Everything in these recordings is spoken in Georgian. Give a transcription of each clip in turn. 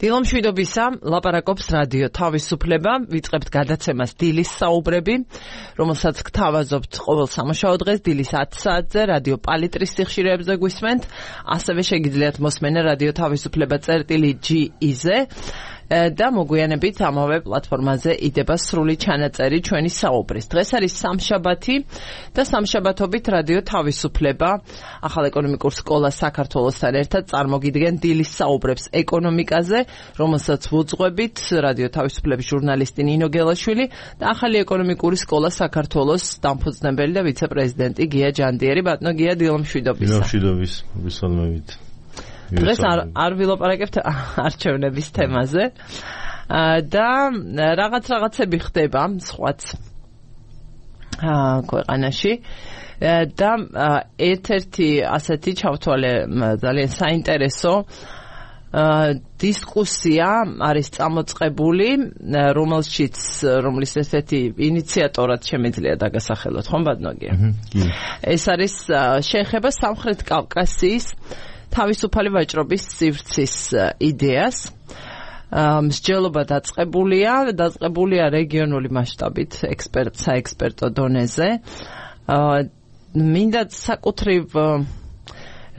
დილომშვიდობისა, ლაპარაკობს რადიო თავისუფლება, ვიწყებთ გადაცემას დილის საუბრები, რომელსაც გთავაზობთ ყოველ სამუშაო დღეს დილის 10 საათზე რადიო პალიტრის სიხშირეებზე გვისმენთ, ასევე შეგიძლიათ მოსმენა რადიო თავისუფლება წერტილი.ge-ზე და მოგვიანებით ამავე პლატფორმაზე იდება სრული ჩანაწერი ჩვენი საუბრის. დღეს არის სამშაბათი და სამშაბათობით რადიო თავისუფლება ახალ ეკონომიკურ სკოლას საქართველოსთან ერთად წარმოგიდგენ დილის საუბრებს ეკონომიკაზე, რომელსაც ვუძღვებით რადიო თავისუფლების ჟურნალისტი ნინო გელაშვილი და ახალი ეკონომიკური სკოლა საქართველოს დამფუძნებელი და ვიცე-პრეზიდენტი გია ჯანდიერი. ბატონო გია, დილომშვიდობის. დილომშვიდობის, მოგესალმებით. დღეს არ ვილაპარაკებთ არჩევნების თემაზე და რაღაცები ხდება სხვაც ქვეყანაში და ერთ-ერთი ასეთი ჩავთვალე ძალიან საინტერესო დისკუსია არის წამოწყებული, რომლის ესეთი ინიციატორად შემიძლია დაგასახელოთ, ხომ ბატონო გია? ეს არის შეეხება სამხრეთ კავკასიის თავისუფალი ვაჭრობის სივრცის იდეას. მსჯელობა დაწყებულია რეგიონული მასშტაბით საექსპერტო დონეზე. მინდა საკუთრივ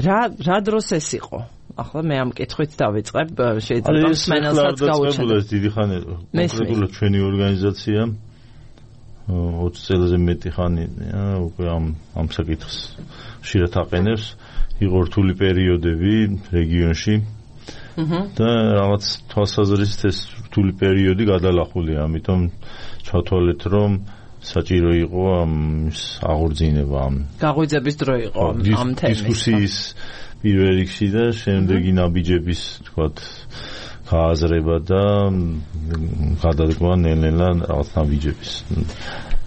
რა დროს ეს იყო? ახლა მე ამ კითხვით დავიწყებ, შეიძლება მსმენელსაც გავუჩნდეთ. დიდი ხანი კონკრეტულად ჩვენი ორგანიზაცია 20 წელზე მეტი ხანი უკვე ამ საკითხს ხშირად აყენებს. იყო რთული პერიოდები რეგიონში და რაღაც თვალსაზრისით ეს რთული პერიოდი გადალახულია, ამიტომ ჩავთვალეთ, რომ საჭირო იყო ამის აღორძინება. გაღვიძების დრო იყო ამ თემის დისკუსიის პირველ რიგში და შემდეგი ნაბიჯების თქვათ გააზრება და გადადგმა ნელ-ნელა რაღაც ნაბიჯების.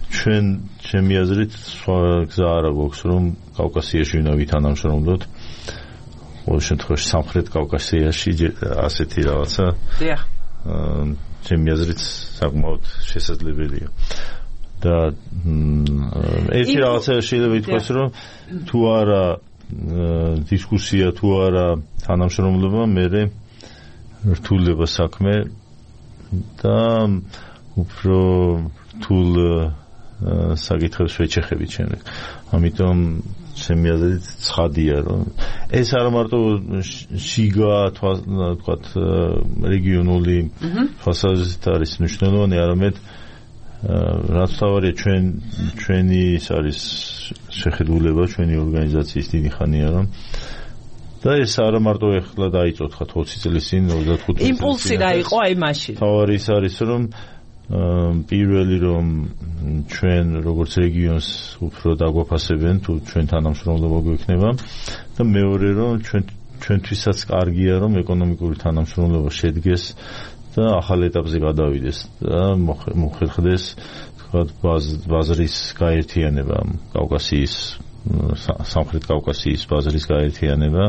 ჩემი აზრით სხვა გზა არ აქვს, რომ კავკასიაში უნდა ვითანამშრომლოთ. ყოველ შემთხვევაში სამხრეთ კავკასიაში ასეთი რაღაცა. დიახ. ჩემი აზრით საკმაოდ შესაძლებელია. და ერთი რაღაცა შეიძლება ითქვას, რომ თუ არა დისკუსია, თუ არა თანამშრომლობა, მერე რთულდება საქმე და უფრო რთულ საკითხებს ვეჩეხებით შემდეგ. ამიტომ ჩემი აზრით ცხადია, რომ ეს არა მარტო შიგა თქვათ რეგიონული თვალსაზრისით არის მნიშვნელოვანი, არამედ რაც თავარია ჩვენი ის არის შეხედულება, ჩვენი ორგანიზაციის დიდი ხანია, რომ და ეს არა მარტო ეხლა დაიწყო 20 წლის წინ 25 წლის იმპულსი რა იყო აი მაშინ. თავარი ის არის, რომ პირველი რომ ჩვენ როგორც რეგიონს უფრო დაგვაფასებენ, თუ ჩვენ თანამშრომლობა გვექნება და მეორე რომ ჩვენთვისაც კარგია, რომ ეკონომიკური თანამშრომლობა შედგეს და ახალ ეტაპზე გადავიდეს და მოხერხდეს თქვათ ბაზრის გაერთიანება, კავკასიის სამხრეთ კავკასიის ბაზრის გაერთიანება,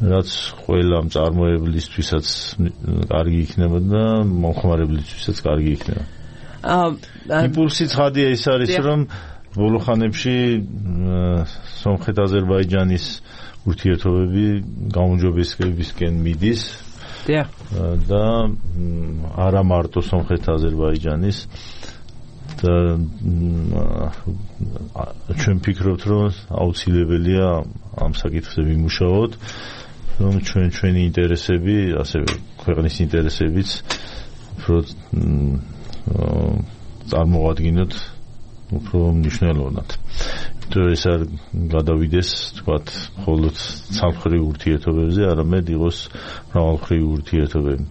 რაც ყველა მწარმოებლისთვისაც კარგი იქნება და მომხმარებლისთვისაც კარგი იქნება. იმპულსი ცხადია ის არის, რომ ბოლო ხანებში სომხეთ-აზერბაიჯანის ურთიერთობები გაუმჯობესებისკენ მიდის. დიახ. და არა მარტო სომხეთ-აზერბაიჯანის და ჩვენ ფიქრობთ, რომ აუცილებელია ამ საკითხზე ვიმუშაოთ, რომ ჩვენი ინტერესები, ასევე ქვეყნის ინტერესებიც უფრო წარმოვადგინოთ უფრო მნიშვნელოვნად. ეს არ გადავიდეს, თქვათ, მხოლოდ სამხრეთ ურთიერთობებზე, არამედ იყოს მრავალმხრივი ურთიერთობები.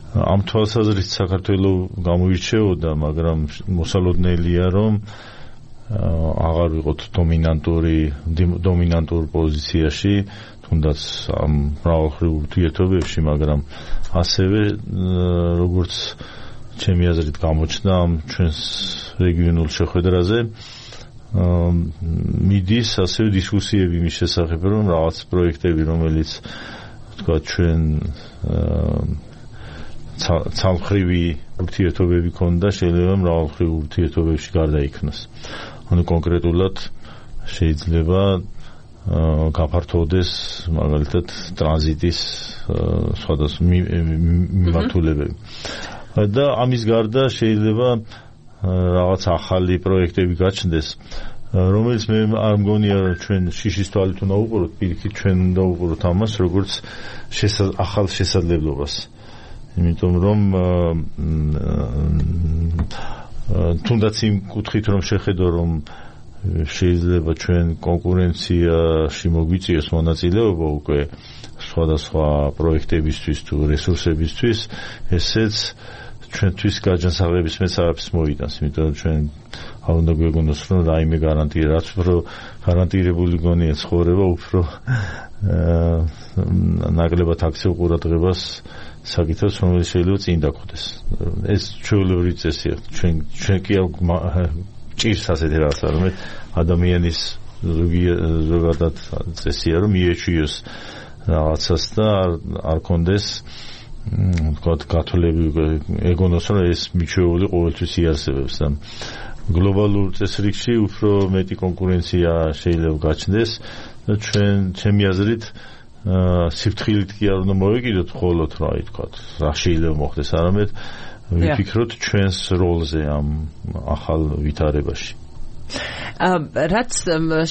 ამ თვალსაზრისით საქართველო გამოირჩეოდა, მაგრამ მოსალოდნელია, რომ აღარ ვიყოთ დომინანტურ პოზიციაში, თუნდაც ამ მრავალმხრივ ურთიერთობებში, მაგრამ ასევე როგორც ჩემი აზრით გამოჩნდა ამ ჩვენს რეგიონულ შეხვედრაზე მიდის ასევე დისკუსიები მის შესახებ, რომ რაღაც პროექტები, რომელიც თქვა ჩვენ ცალმხრივი ურთიერთობები ქონდა, შეიძლება მრავალმხრივ ურთიერთობებში გარდაიქმნას. ანუ კონკრეტულად შეიძლება გაფართოვდეს მაგალითად ტრანზიტის სხვადასხვა მიმართულებები. და ამის გარდა შეიძლება რაღაც ახალი პროექტები გაჩნდეს, რომელიც მე არ მგონია ჩვენ შიშის თვალით უნდა უყუროთ, პირიქით ჩვენ უნდა უყუროთ ამას როგორც ახალ შესაძლებლობას. იმიტომ რომ თუნდაც იმ კუთხით რომ შეხედო რომ შეიძლება ჩვენ კონკურენციაში მოგვიწიოს მონაწილეობა უკვე სხვადასხვა პროექტებისთვის თუ რესურსებისთვის, ესეც ჩვენთვის გაჯანსაღების მეცაებს მოიტანს, იმიტომ რომ ჩვენ არ უნდა გვეგონოს რომ რაიმე გარანტია, რაც უფრო გარანტირებული გონია ცხოვრება, უფრო ნაკლებად აქცევ ყურადღებას საკითხებს, რომელიც შეიძლება წინ დაგხვდეს. ეს ჩვეულებრივი წესია. ჩვენ კი ჭირს ასეთი რაღაცა, რომ ადამიანის ზოგადად წესია, რომ მიეჩვიოს რაღაცას და არ კონდეს გათვლები, ეგონოს რომ ეს მიჩვეული ყოველთვის იარსებებს და გლობალურ წესრიგში უფრო მეტი კონკურენცია შეიძლება გაჩნდეს და ჩემი აზრით სიფრთხილით კი არ უნდა მოვეკიდოთ მხოლოდ რა შეიძლება მოხდეს, არამედ ვიფიქროთ ჩვენს როლზე ამ ახალ ვითარებაში. რაც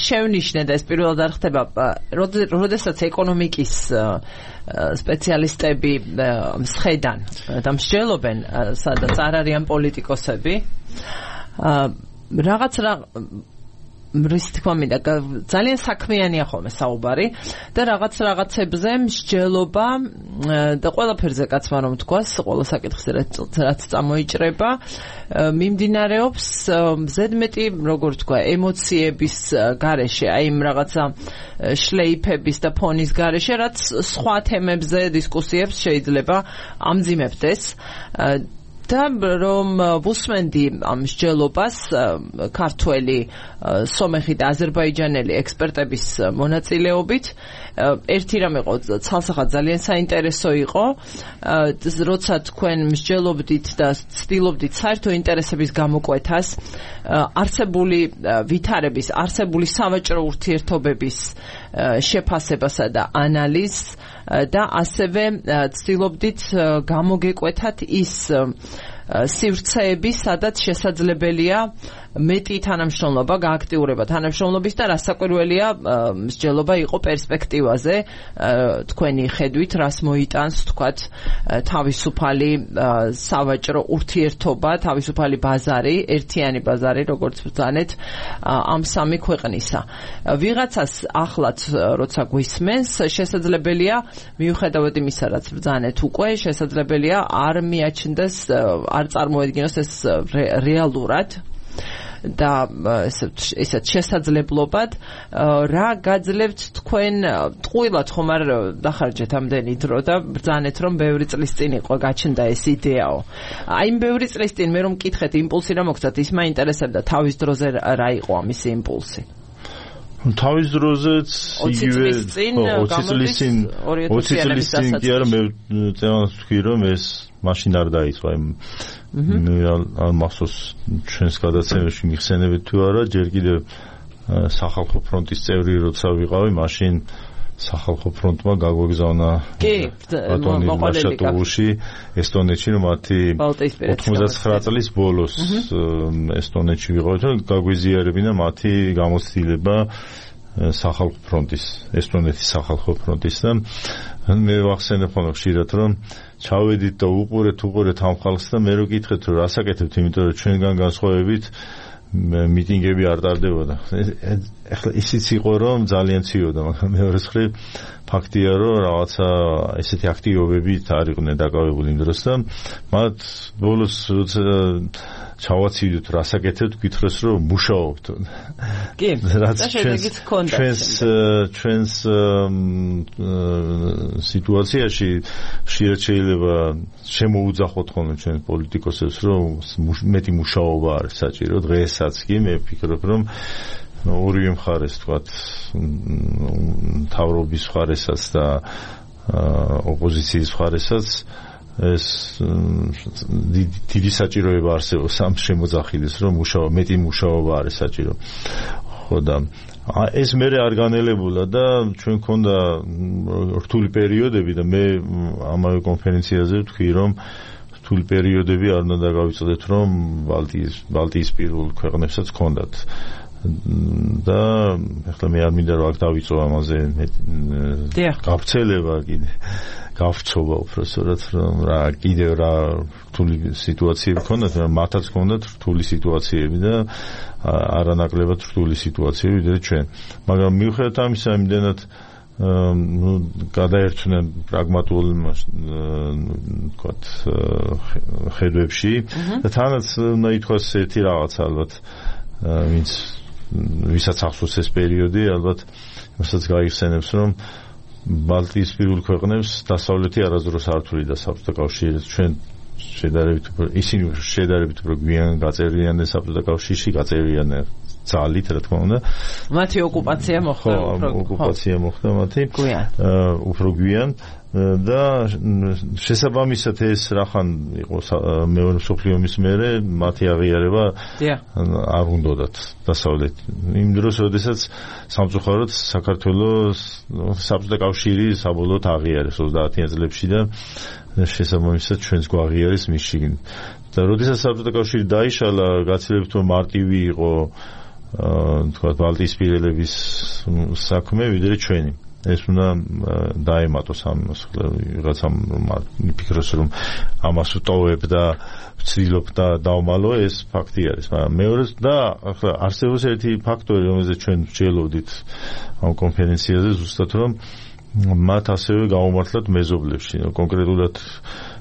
შევნიშნე და ეს პირველად არ ხდება, როდესაც ეკონომიკის სპეციალისტები მსხედან და მსჯელობენ, სადაც არ არიან პოლიტიკოსები, რითქმა მინდა ძალიან საქმიანია ხოლმე საუბარი და რაღაცებზე მსჯელობა და ყველაფერზე კაცმა რომ თქვას, ყველა საკითხზე რაც წამოიჭრება, მიმდინარეობს ზედმეტი, როგორ თქვა, ემოციების გარეშე, აი იმ რაღაცა შლეიფების და ფონის გარეშე, რაც სხვა თემებზე დისკუსიებს შეიძლება ამძიმებდეს. და რომ ვუსმენდი ამ მსჯელობას ქართველი, სომეხი და აზერბაიჯანელი ექსპერტების მონაწილეობით, ერთი რამ იყო ცალსახად ძალიან საინტერესო იყო, როცა თქვენ მსჯელობდით და ცდილობდით საერთო ინტერესების გამოკვეთას, არსებული ვითარების, არსებული სავაჭრო ურთიერთობების შეფასებასა და ანალიზს და ასევე ცდილობდით გამოგეკვეთათ ის სივრცეები, სადაც შესაძლებელია მეტი თანამშრომლობა, გააქტიურება თანამშრომლობის და რასაკვირველია მსჯელობა იყო პერსპექტივაზე, თქვენი ხედვით, რას მოიტანს, თქვათ, თავისუფალი სავაჭრო ურთიერთობა, თავისუფალი ბაზარი, ერთიანი ბაზარი, როგორც ბრძანეთ, ამ სამი ქვეყნისა. ვიღაცას ახლაც, როცა გვისმენს, შესაძლებელია, მიუხედავად იმისა, რაც ბრძანეთ უკვე, შესაძლებელია არ მიაჩნდეს, არ წარმოედგინოს ეს რეალურად და ესეთ შესაძლებლობად, რა გაძლევთ თქვენ ტყუილად ხომ არ დახარჯეთ ამდენი დრო და ბრძანეთ რომ ბევრი წლის წინ იყო გაჩნდა ეს იდეაო. აი იმ ბევრი წლის წინ მე რომ მკითხეთ იმპულსი რა მოგცათ, ის მაინტერესებდა თავის დროზე რა იყო ამის იმპულსი? თავის დროზეც იგივე 20 წლის წინ კი არა, მე წევანს ვთქვი რომ ეს მაშინ არ დაიწყო, არ მახსოვს ჩვენს გადაცემებში მიხსენებით თუ არა, ჯერ კიდევ სახალხო ფრონტის წევრი როცა ვიყავი, მაშინ სახალხო ფრონტმა გაგვეგზავნა ბატონი მაშატოვუში ესტონეთში, რომ მათი 99 წლის ბოლოს ესტონეთში ვიყავით, რომ გაგვიზიარებინა მათი გამოცდილება სახალხო ფრონტის, ესტონეთის სახალხო ფრონტის და მე ვახსენებ ხოლმე ხშირად, რომ ჩავედით და უყურეთ ამ ხალხს და მე რო გითხეთ, რომ რასაკეთებთ, იმიტომ რომ ჩვენგან განსხვავებით მიტინგები არ ტარდებოდა. ეხლა ისიც იყო, რომ ძალიან ციოდა, მაგრამ მეორე მხრივ ფაქტია, რომ რაღაცა ესეთი აქტივობებით არ იყვნენ დაკავებული იმ დროს და მათ ბოლოს ჩავაცივდით, რასაკეთებთ, გითხრეს, რომ მუშაობთ. კი, რაც ჩვენს სიტუაციაში ხშირად შეიძლება შემოუძახოთ ხოლმე ჩვენ პოლიტიკოსებს, რომ მეტი მუშაობა არის საჭირო. დღესაც კი მე ვფიქრობ, რომ ორივე მხარეს, თქვათ, მთავრობის მხარესაც და ოპოზიციის მხარესაც ეს დიდი საჭიროება არსებობს ამ შემოძახილის, რომ მეტი მუშაობა არის საჭირო. ხო და ეს მე არ განელებულა და ჩვენ ქონდა რთული პერიოდები და მე ამავე კონფერენციაზე ვთქვი რომ რთული პერიოდები არ უნდა დაგავიწყდეთ რომ ბალტიისპირულ ქვეყნებსაც ქონდათ და ახლა მე არ მინდა რომ აქ დავიწყო ამაზე გავრცელება კიდე გავწოვა უბრალოდ რომ რა კიდევ რა რთული სიტუაციები ქონდათ მათაც ქონდათ რთული სიტუაციები და არანაკლებად რთული სიტუაციები ვიდრე ჩვენ მაგრამ მიუხედავად ამისა იმდენად გადაერთვნენ პრაგმატულ ვთქვათ ხედვებში და თანაც უნდა ითქვას ერთი რაღაც ალბათ ვისაც ახსოვს ეს პერიოდი ალბათ მასაც გაიხსენებს რომ ბალტიისპირულ ქვეყნებს დასავლეთი არასდროს არ თვლიდა საბჭოთა კავშირი ჩვენ ისინი შედარებით უფრო გვიან გაწერიანდნენ საბჭოთა კავშირში გაწერიანდნენ ძალით რა თქმა უნდა მათი ოკუპაცია მოხდა მათი უფრო გვიან და შესაბამისად ეს რახან იყო მეორე მსოფლიო ომის მერე მათი აღიარება არ უნდათ დასავლეთ იმ დროს როდესაც სამწუხაროდ საქართველოს საბჭოთა კავშირი საბოლოოდ აღიარეს 30-იან წლებში და შესაბამისად ჩვენს გვაღიარეს მის შიგნით და როდესაც საბჭოთა კავშირი დაიშალა გაცილებით რომ მარტივი იყო თქვა ბალტიისპირელების საქმე ვიდრე ჩვენი ეს უნდა დაემატოს ამას ვიღაცამ მიფიქროს რომ ამას უტოვებ და ვცდილობ და დავმალო ეს ფაქტი არის მაგრამ მეორე და ახლა არსებობს ერთი ფაქტორი რომელზეც ჩვენ ვჯელოდით ამ კონფერენციაზე ზუსტად რომ მათ ასევე გაუმართლათ მეზობლებში კონკრეტულად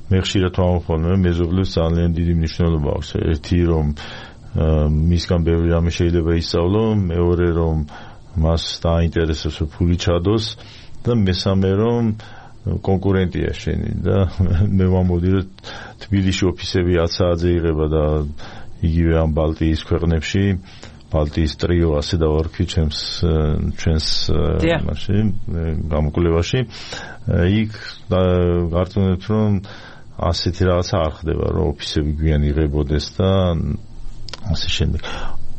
მე ხშირად ვამოფხოლმე მეზობლებს ძალიან დიდი მნიშვნელობა აქვს ერთი რომ მისგან ბევრი რამე შეიძლება ისწავლო მეორე რომ მას დაინტერესებს ფული ჩადოს და მესამე რომ კონკურენტია შენი და მე ვამბობდი რომ თბილისში ოფისები 10 საათზე იღება და იგივე ამ ბალტიის ქვეყნებში ბალტიის ტრიო ასე დავარქვი ჩვენს მაშინ გამოკვლევაში იქ გარწმუნებთ რომ ასეთი რაღაცა არ ხდება რომ ოფისები გვიან იღებოდეს და ასე შემდეგ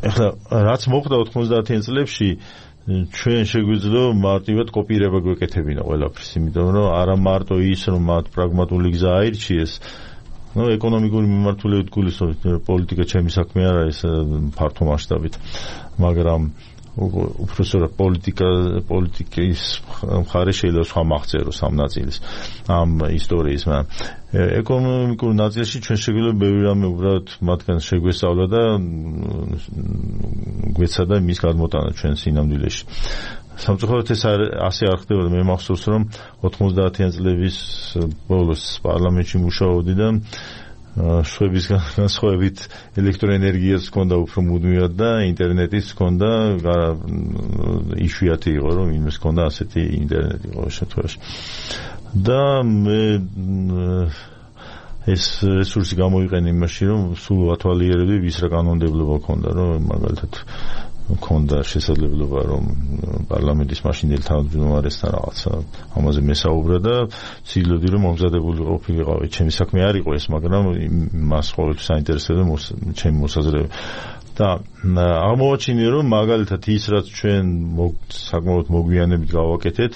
ეხლა რაც მოხდა 90-იან წლებში ჩვენ შეგვიძლია მარტივად კოპირება გვეკეთებინა ყველაფრის იმიტომ რომ არა მარტო ის რომ მათ პრაგმატული გზა აირჩიეს ეკონომიკური მიმართულებით გულისხმობთ პოლიტიკა ჩემი საქმე არ არის ფართო მასშტაბით მაგრამ უბრალოდ პოლიტიკის მხარე შეიძლება სხვა მაღწეროს ამ ნაწილის ამ ისტორიის მაგრამ ეკონომიკურ ნაწილში ჩვენ შეგვიძლია ბევრი რამე უბრალოდ მათგან შეგვესწავლა და გვეცადა მის გადმოტანა ჩვენ სინამდვილეში სამწუხაროდ ეს ასე არ ხდებოდა მე მახსოვს რომ 90-იან წლების ბოლოს პარლამენტში მუშაობდი და შვების განსხვავებით ელექტროენერგიას ჰქონდა უფრო მუდმივად და ინტერნეტიც ჰქონდა იშვიათი იყო რომ იმის ჰქონდა ასეთი ინტერნეტი ყოველ შემთხვევაში და მე ეს რესურსი გამოიყენე იმაში რომ სულ ვათვალიერებდი ვის რა კანონმდებლობა ჰქონდა რომ მაგალითად მქონდა შესაძლებლობა რომ პარლამენტის მაშინდელი თავმჯდომარესთან რაღაცა ამაზე მესაუბრა და ცდილობდი რომ მომზადებული ყოფილიყავი ჩემი საქმე არ იყო ეს მაგრამ მას ყოველთვის საინტერესებდა ჩემი მოსაზრება და აღმოაჩინე რომ მაგალითად ის რაც ჩვენ საკმაოდ მოგვიანებით გავაკეთეთ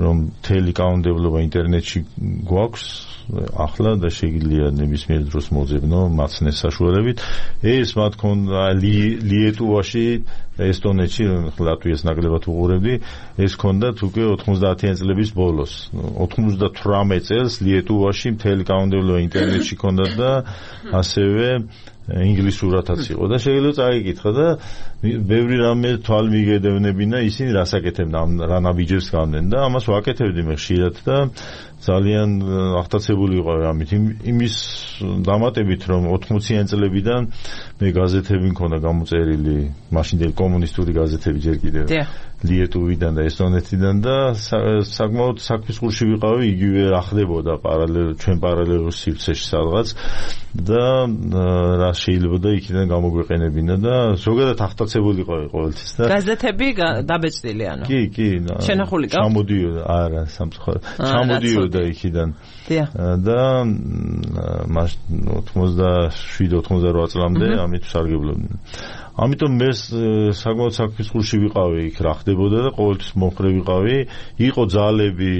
რომ მთელი კანონმდებლობა ინტერნეტში გვაქვს ახლა და შეიძლება ნებისმიერ დროს მოძებნო მაცნეს საშუალებით ეს მათ ქონდა ლიეტუვაში ესტონეთში ლატვიას ნაკლებად უყურებდი ეს ქონდათ უკვე 90-იან წლების ბოლოს 98 წელს ლიეტუვაში მთელი კანონმდებლობა ინტერნეტში ქონდათ და ასევე ინგლისურათაც იყო და შეიძლება წაიკითხა და ბევრი რამე თვალმიგედევნებინა ისინი რას აკეთებდნენ რა ნაბიჯებს გავდნენ და ამას ვაკეთებდი მე ხშირად და ძალიან აღტაცებული ვიყავი ამით იმის დამატებით რომ 80-იან წლებიდან მე გაზეთები მქონდა გამოწერილი მაშინდელი კომუნისტური გაზეთები ჯერ კიდევ ლიეტუვიდან და ესტონეთიდან და საკმაოდ საქმისყურში ვიყავი იგივე რა ხდებოდა ჩვენ პარალელურ სივრცეში სადღაც და რა შეიძლება და იქიდან გამოგვეყენებინა და ზოგადად აღტაცებული ვიყავი ყოველთვის და გაზეთები დაბეჭდილი ანუ კი შენახული ჩამოდიოდა არა სამწუხაროდ ჩამოდიოდა გადავიდა იქიდან. და 87-88 წლამდე ამით სარგებლობდნენ. ამიტომ მე საკმაოდ საფრთხეში ვიყავი იქ რა ხდებოდა და ყოველთვის მომხრე ვიყავი. იყო ძალები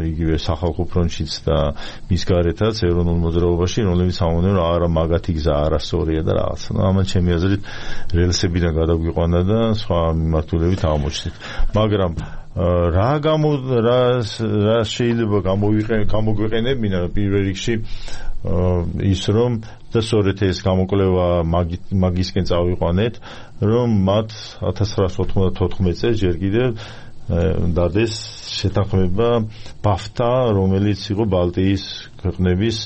იგივე სახალხო ფრონტშიც და მის გარეთაც ეროვნულ მოძრაობაში, რომლებიც ამბობდნენ რომ არა მაგათი გზა არასწორია და რაღაც. ამან ჩემი აზრით რელსებიდან გადაგვიყვანა და სხვა მიმართულებით აღმოჩნდით. მაგრამ რა შეიძლება გამოგვიყენებინა პირველ რიგში ის რომ და სწორედ ეს გამოკვლევა მაგისკენ წავიყვანეთ, რომ მათ 1994 წელს ჯერ კიდევ დადეს შეთანხმება ბაფთა, რომელიც იყო ბალტიის ქვეყნების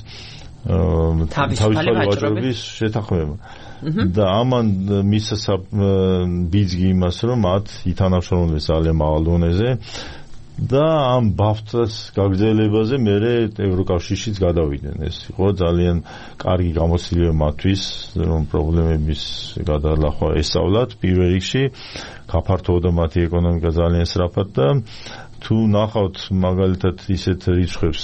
თავისუფალი ვაჭრობის შეთანხმება. და ამან მისცა ბიძგი იმას, რომ მათ ითანამშრომლებს ძალიან მაღალ დონეზე და ამ ბაფთას გაგრძელებაზე მე ევროკავშირშიც გადავიდნენ. ეს იყო ძალიან კარგი გამოცდილება მათთვის, რომ პრობლემების გადალახვა ესწავლათ პირველ რიგში, გაფართოვდა მათი ეკონომიკა ძალიან სწრაფად და თუ ნახავთ მაგალითად ისეთ რიცხვებს,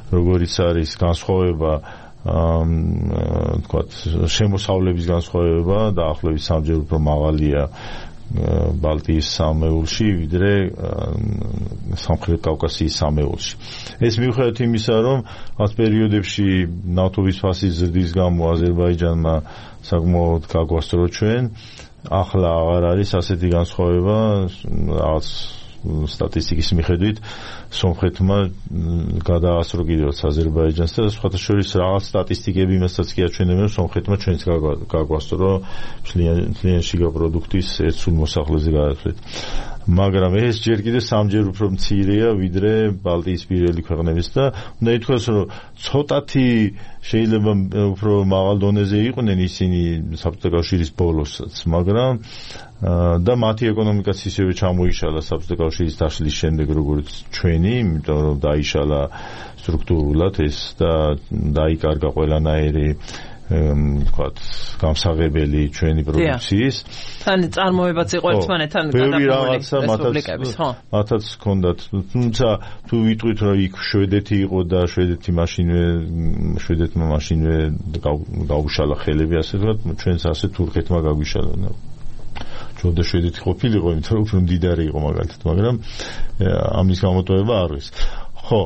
როგორიც არის განსხვავება თქვათ შემოსავლების განსხვავება დაახლოებით 3-ჯერ უფრო მაღალია ბალტიის სამეულში ვიდრე სამხრეთ კავკასიის სამეულში. ეს მიუხედავად იმისა, რომ ამ პერიოდებში ნავთობის ფასის ზრდის გამო აზერბაიჯანმა საკმაოდ გაგვასწრო ჩვენ, ახლა აღარ არის ასეთი განსხვავება რაღაც სტატისტიკის მიხედვით სომხეთმა გადაასწრო კიდევაც აზერბაიჯანს და სხვათა შორის რაღაც სტატისტიკები იმასაც კი აჩვენებენ, რომ სომხეთმა ჩვენც გაგვასწრო მთლიანი შიგა პროდუქტის ერთსულ მოსახლეზე გადასვლით. მაგრამ ეს ჯერ კიდევ 3-ჯერ უფრო მცირეა ვიდრე ბალტიის პირველი ქვეყნების და უნდა ითქვას, რომ ცოტათი შეიძლება უფრო მაღალ დონეზე იყვნენ ისინი საბჭოთა კავშირის ბოლოსაც, მაგრამ და მათი ეკონომიკაც ისევე ჩამოიშალა საბჭოთა კავშირის დაშლის შემდეგ როგორც ჩვენი, იმიტომ რომ დაიშალა სტრუქტურულად ეს და დაიკარგა ყველანაირი ვთქვათ გამსაღებელი ჩვენი პროდუქციის. თან წარმოებაც იყო ერთმანეთთან გადაყოლილი რესპუბლიკების, ხო? მათაც ჰქონდათ, თუმცა თუ ვიტყვით რომ იქ შვედეთი იყო და შვედეთმა მაშინვე გაუშალა ხელები, ასე ვთქვათ, ჩვენც ასე თურქეთმა გაგვიშალა. ჯობდა შვედეთი ყოფილიყო, იმიტომ რომ უფრო მდიდარი იყო მაგალითად, მაგრამ ამის გამოტოვება არ არის. ხო,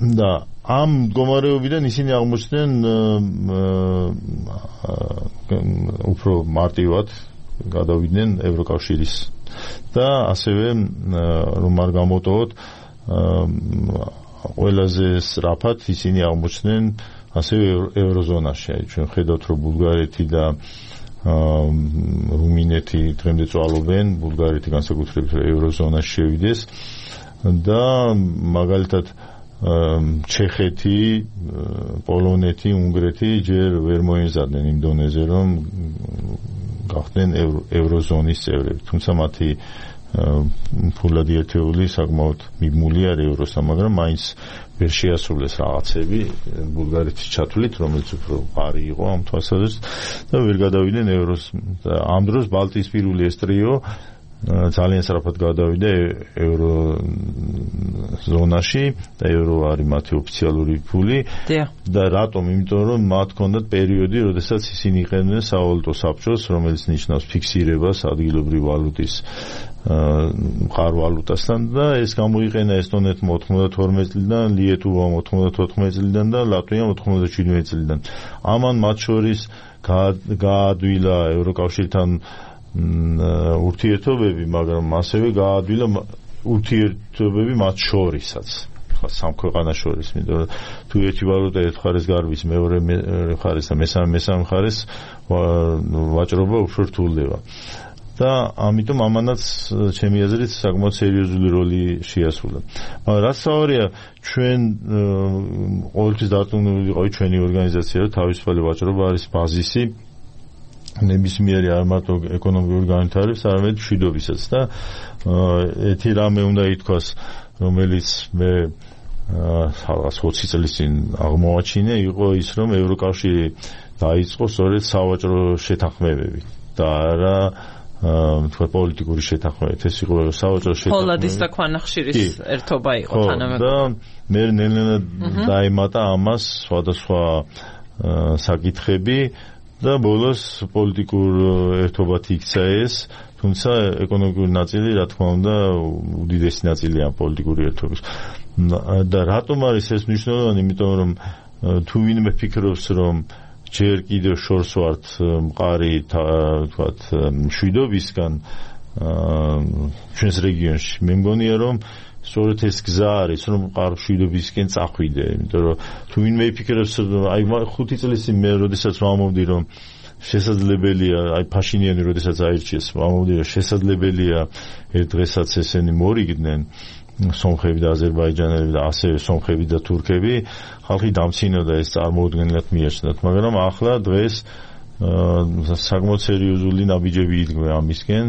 და ამ მდგომარეობიდან ისინი აღმოჩნდნენ უფრო მარტივად გადავიდნენ ევროკავშირის და ასევე რომ არ გამოტოვოთ ყველაზე სწრაფად ისინი აღმოჩნდნენ ასევე ევროზონაში. ჩვენ ხედავთ რომ ბულგარეთი და რუმინეთი დღემდე წვალობენ, ბულგარეთი განსაკუთრებით ევროზონაში შევიდეს და მაგალითად ჩეხეთი, პოლონეთი, უნგრეთი ჯერ ვერ მოეზარდნენ იმ დონეზე, რომ გახდნენ ევროზონის წევრები. თუმცა მათი ფულადი ერთეული საკმაოდ მიბმული არის ევროსთან, მაგრამ მაინც ვერ შეასრულეს რაღაცები ბულგარეთის ჩათვლით, რომელიც უფრო პარი იყო ამ თვალსაზრისით და ვერ გადავიდნენ ევროს. ამ დროს ბალტიისპირული ეს ტრიო ძალიან სწრაფად გადავიდა ევროზონაში და ევრო არის მათი ოფიციალური ფული. და რატომ? იმიტომ რომ მათ ჰქონდათ პერიოდი, როდესაც ისინი იყენებდნენ სავალუტო საბჭოს, რომელიც ნიშნავს ფიქსირებას ადგილობრივი ვალუტის მყარვალუტასთან და ეს გამოიყენა ესტონეთმა 92 წლიდან, ლიეტუვამ 94 წლიდან და ლატვიამ 97 წლიდან. ამან მათ შორის გაადვილა ევროკავშირთან ურთიერთობები, მაგრამ ასევე გაადვილა ურთიერთობები მათ შორისაც, სამ ქვეყანას შორის, იმიტომ რომ თუ ერთი ვალუტა ერთ მხარეს გარბის, მეორე მხარეს და მესამე მხარეს ვაჭრობა უფრო რთულდება. და ამიტომ ამანაც ჩემი აზრით საკმაოდ სერიოზული როლი შეასრულა. მაგრამ რაც საوارია, ჩვენ ყოველთვის დარწმუნებული ვიყავით ჩვენი ორგანიზაცია, რომ თავისუფალი ვაჭრობა არის ბაზისი ნებისმიერი არ მარტო ეკონომიკური განვითარების, არამედ მშვიდობისაც და ერთი რამე უნდა ითქვას, რომელიც მე 20 წლის წინ აღმოაჩინე, იყო ის, რომ ევროკავშირი დაიწყო სწორედ სავაჭრო შეთანხმებები და არა თქვა პოლიტიკური შეთანხმებით ეს იყო სავაჭრო შეთანხმება. პოლადის და ქვანახშირის ერთობა იყო თანამედროვე. და მე ნელ-ნელა დაემატა ამას სხვადასხვა საკითხები და ბოლოს პოლიტიკურ ერთობად იქცა ეს, თუმცა ეკონომიკური ნაწილი რა თქმა უნდა უდიდესი ნაწილია პოლიტიკური ერთობის. და რატომ არის ეს მნიშვნელოვანი? იმიტომ რომ თუ ვინმე ფიქრობს რომ ჯერ კიდევ შორს ვართ მყარი თქვათ მშვიდობისგან ჩვენს რეგიონში, მე მგონია რომ სწორედ ეს გზა არის რომ მყარ მშვიდობისკენ წახვიდე, იმიტომ რომ თუ ვინმე იფიქრებს აი 5 წლის წინ მე როდესაც ვამოვდი რომ შესაძლებელია აი ფაშინიანი როდესაც აირჩიეს ვამოვდი რომ შესაძლებელია ერთ დღესაც ესენი მორიგდნენ სომხები და აზერბაიჯანელები და ასევე სომხები და თურქები, ხალხი დამცინოდა ეს წარმოუდგენლად მიაჩნდათ, მაგრამ ახლა დღეს საკმაოდ სერიოზული ნაბიჯები იდგმება ამისკენ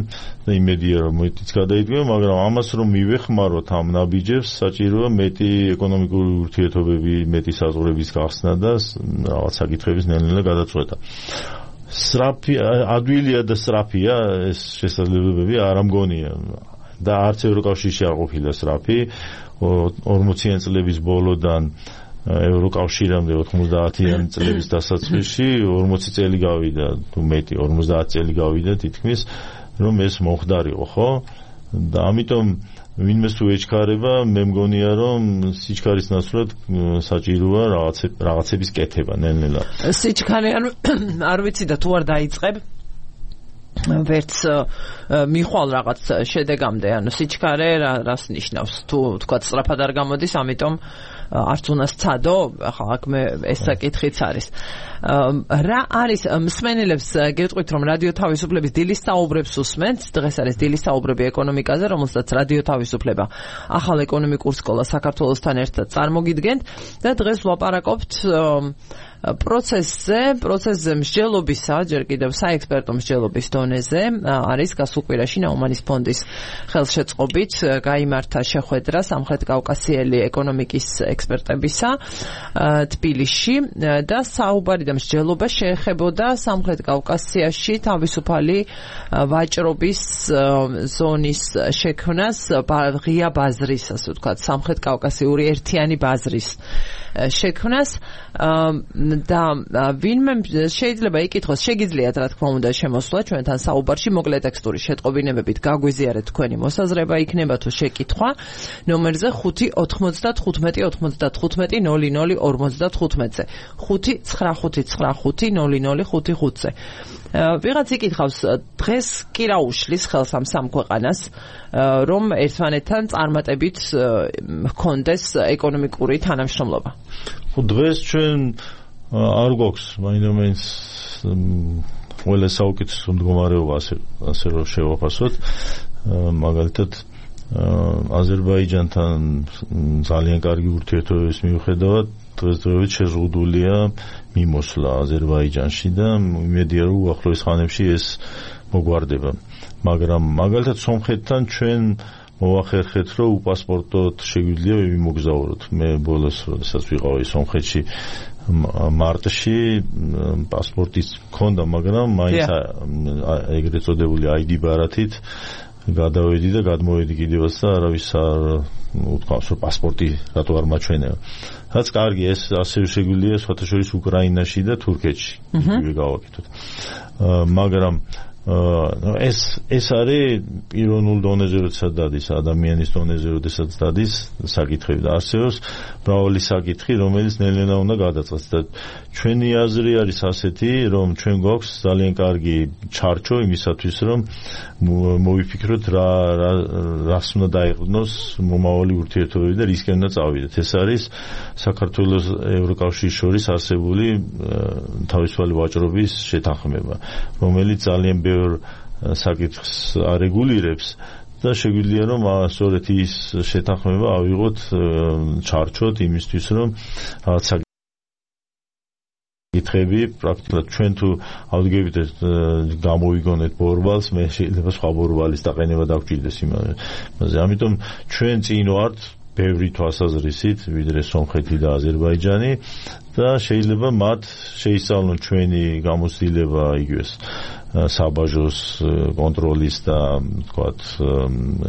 და იმედია რომ მეტიც გადაიდგება, მაგრამ ამას რომ მივეხმაროთ ამ ნაბიჯებს, საჭიროა მეტი ეკონომიკური ურთიერთობები, მეტი საზღვრების გახსნა და რაღაც საკითხების ნელ-ნელა გადაწყვეტა. სწრაფი, ადვილია და სწრაფია ეს შესაძლებლობები არ ამგონია. და არც ევროკავშირში არ ყოფილა სწრაფი 40-იან წლების ბოლოდან ევროკავშირამდე 90-იან წლების დასაწყისში 40 წელი გავიდა თუ მეტი 50 წელი გავიდა თითქმის რომ ეს მომხდარიყო, ხო? და ამიტომ ვინმეს თუ ეჩქარება, მე მგონია რომ სიჩქარის ნაცვლად საჭიროა რაღაცების კეთება ნელ-ნელა. სიჩქარე არ ვიცი და თუ არ დაიწყებ ვერც მიხვალ რაღაც შედეგამდე, ანუ სიჩქარე რას ნიშნავს? თუ თქვა სწრაფად არ გამოდის, ამიტომ არც უნდა სცადო, ახლა აქ მე ეს საკითხიც არის. რა არის მსმენელებს გეტყვით რომ რადიო თავისუფლების დილის საუბრებს უსმენთ, დღეს არის დილის საუბრები ეკონომიკაზე, რომელსაც რადიო თავისუფლება ახალ ეკონომიკურ სკოლას საქართველოსთან ერთად წარმოგიდგენთ და დღეს ვლაპარაკობთ პროცესზე მსჯელობისა, ჯერ კიდევ საექსპერტო მსჯელობის დონეზე არის გასულ კვირაში ნაუმანის ფონდის ხელშეწყობით გაიმართა შეხვედრა სამხრეთ-კავკასიელი ეკონომიკის ექსპერტებისა თბილისში და საუბარი და მსჯელობა შეეხებოდა სამხრეთ-კავკასიაში თავისუფალი ვაჭრობის ზონის შექმნას, ღია ბაზრის, ასე ვთქვათ, სამხრეთ-კავკასიური ერთიანი ბაზრის შექმნას და ვინმე შეიძლება იკითხოს, შეგიძლიათ რა თქმა უნდა შემოსვლა ჩვენთან საუბარში, მოკლე ტექსტური შეტყობინებებით გაგვიზიარეთ თქვენი მოსაზრება, იქნება თუ შეკითხვა ნომერზე 5-95-95-00-55-ზე 5-95-95-00-55-ზე. ვიღაც იკითხავს, დღეს კი რა უშლის ხელს ამ სამ ქვეყანას, რომ ერთმანეთთან წარმატებით ჰქონდეს ეკონომიკური თანამშრომლობა? დღეს ჩვენ არ გვაქვს მაინდამაინც ყველა საუკეთესო მდგომარეობა, ასე რომ შევაფასოთ. მაგალითად აზერბაიჯანთან ძალიან კარგი ურთიერთობების მიუხედავად დღესდღეობით შეზღუდულია მიმოსვლა აზერბაიჯანში და იმედია რომ უახლოეს ხანებში ეს მოგვარდება. მაგრამ მაგალითად სომხეთთან ჩვენ მოვახერხეთ რომ უპასპორტოდ შეგვიძლია ვიმოგზაუროთ. მე ბოლოს როდესაც ვიყავი სომხეთში მარტში პასპორტიც მქონდა, მაგრამ მაინც ეგრეთ წოდებული ID ბარათით გადავედი და გადმოვედი კიდევაც და არავის არ უთქვამს რომ პასპორტი რატო არ მაჩვენებია. რაც კარგი, ეს ასევე შეგვიძლია სხვათა შორის უკრაინაში და თურქეთში გავაკეთოთ. მაგრამ ეს არის პიროვნულ დონეზე როდესაც დადის, ადამიანის დონეზე როდესაც დადის საკითხები და არსებობს მრავალი საკითხი, რომელიც ნელ-ნელა უნდა გადაწყდეს და ჩვენი აზრი არის ასეთი, რომ ჩვენ გვაქვს ძალიან კარგი ჩარჩო იმისათვის, რომ მოვიფიქროთ რას უნდა დაეყრდნოს მომავალი ურთიერთობები და რისკენ უნდა წავიდეთ. ეს არის საქართველოს ევროკავშირის შორის არსებული თავისუფალი ვაჭრობის შეთანხმება, რომელიც ძალიან საკითხს არეგულირებს და შეგვიძლია რომ სწორედ ის შეთანხმება ავიღოთ ჩარჩოთ იმისთვის რომ რაღაც საკითხები პრაქტიკულად ჩვენ თუ ავდგებით გამოვიგონეთ ბორბალს, მე შეიძლება სხვა ბორბალის დაყენება დაგვჭირდეს იმაზე. ამიტომ ჩვენ წინ ვართ ბევრი თვალსაზრისით ვიდრე სომხეთი და აზერბაიჯანი და შეიძლება მათ შეისწავლონ ჩვენი გამოცდილება იგივეს საბაჟოს კონტროლის და თქვათ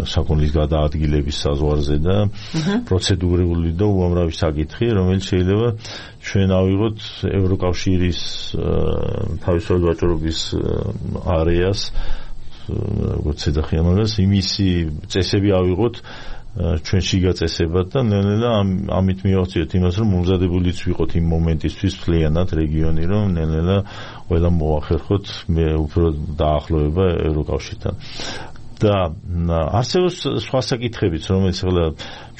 საკონლის გადაადგილების საზღვარზე და პროცედურული და უამრავი საკითხი, რომელიც შეიძლება ჩვენ ავიღოთ ევროკავშირის თავისუფლად ვაჭრობის არეას, როგორც ეძახიან მაგას, იმისი წესები ავიღოთ ჩვენ შიგა წესებად და ნელ-ნელა ამით მივახციოთ იმას, რომ მომზადებულიც ვიყოთ იმ მომენტისთვის მთლიანად რეგიონი, რომ ნელ-ნელა ყველა მოახერხოთ უფრო დაახლოება ევროკავშირთან. და არსებობს სხვა საკითხებიც, რომელიც ახლა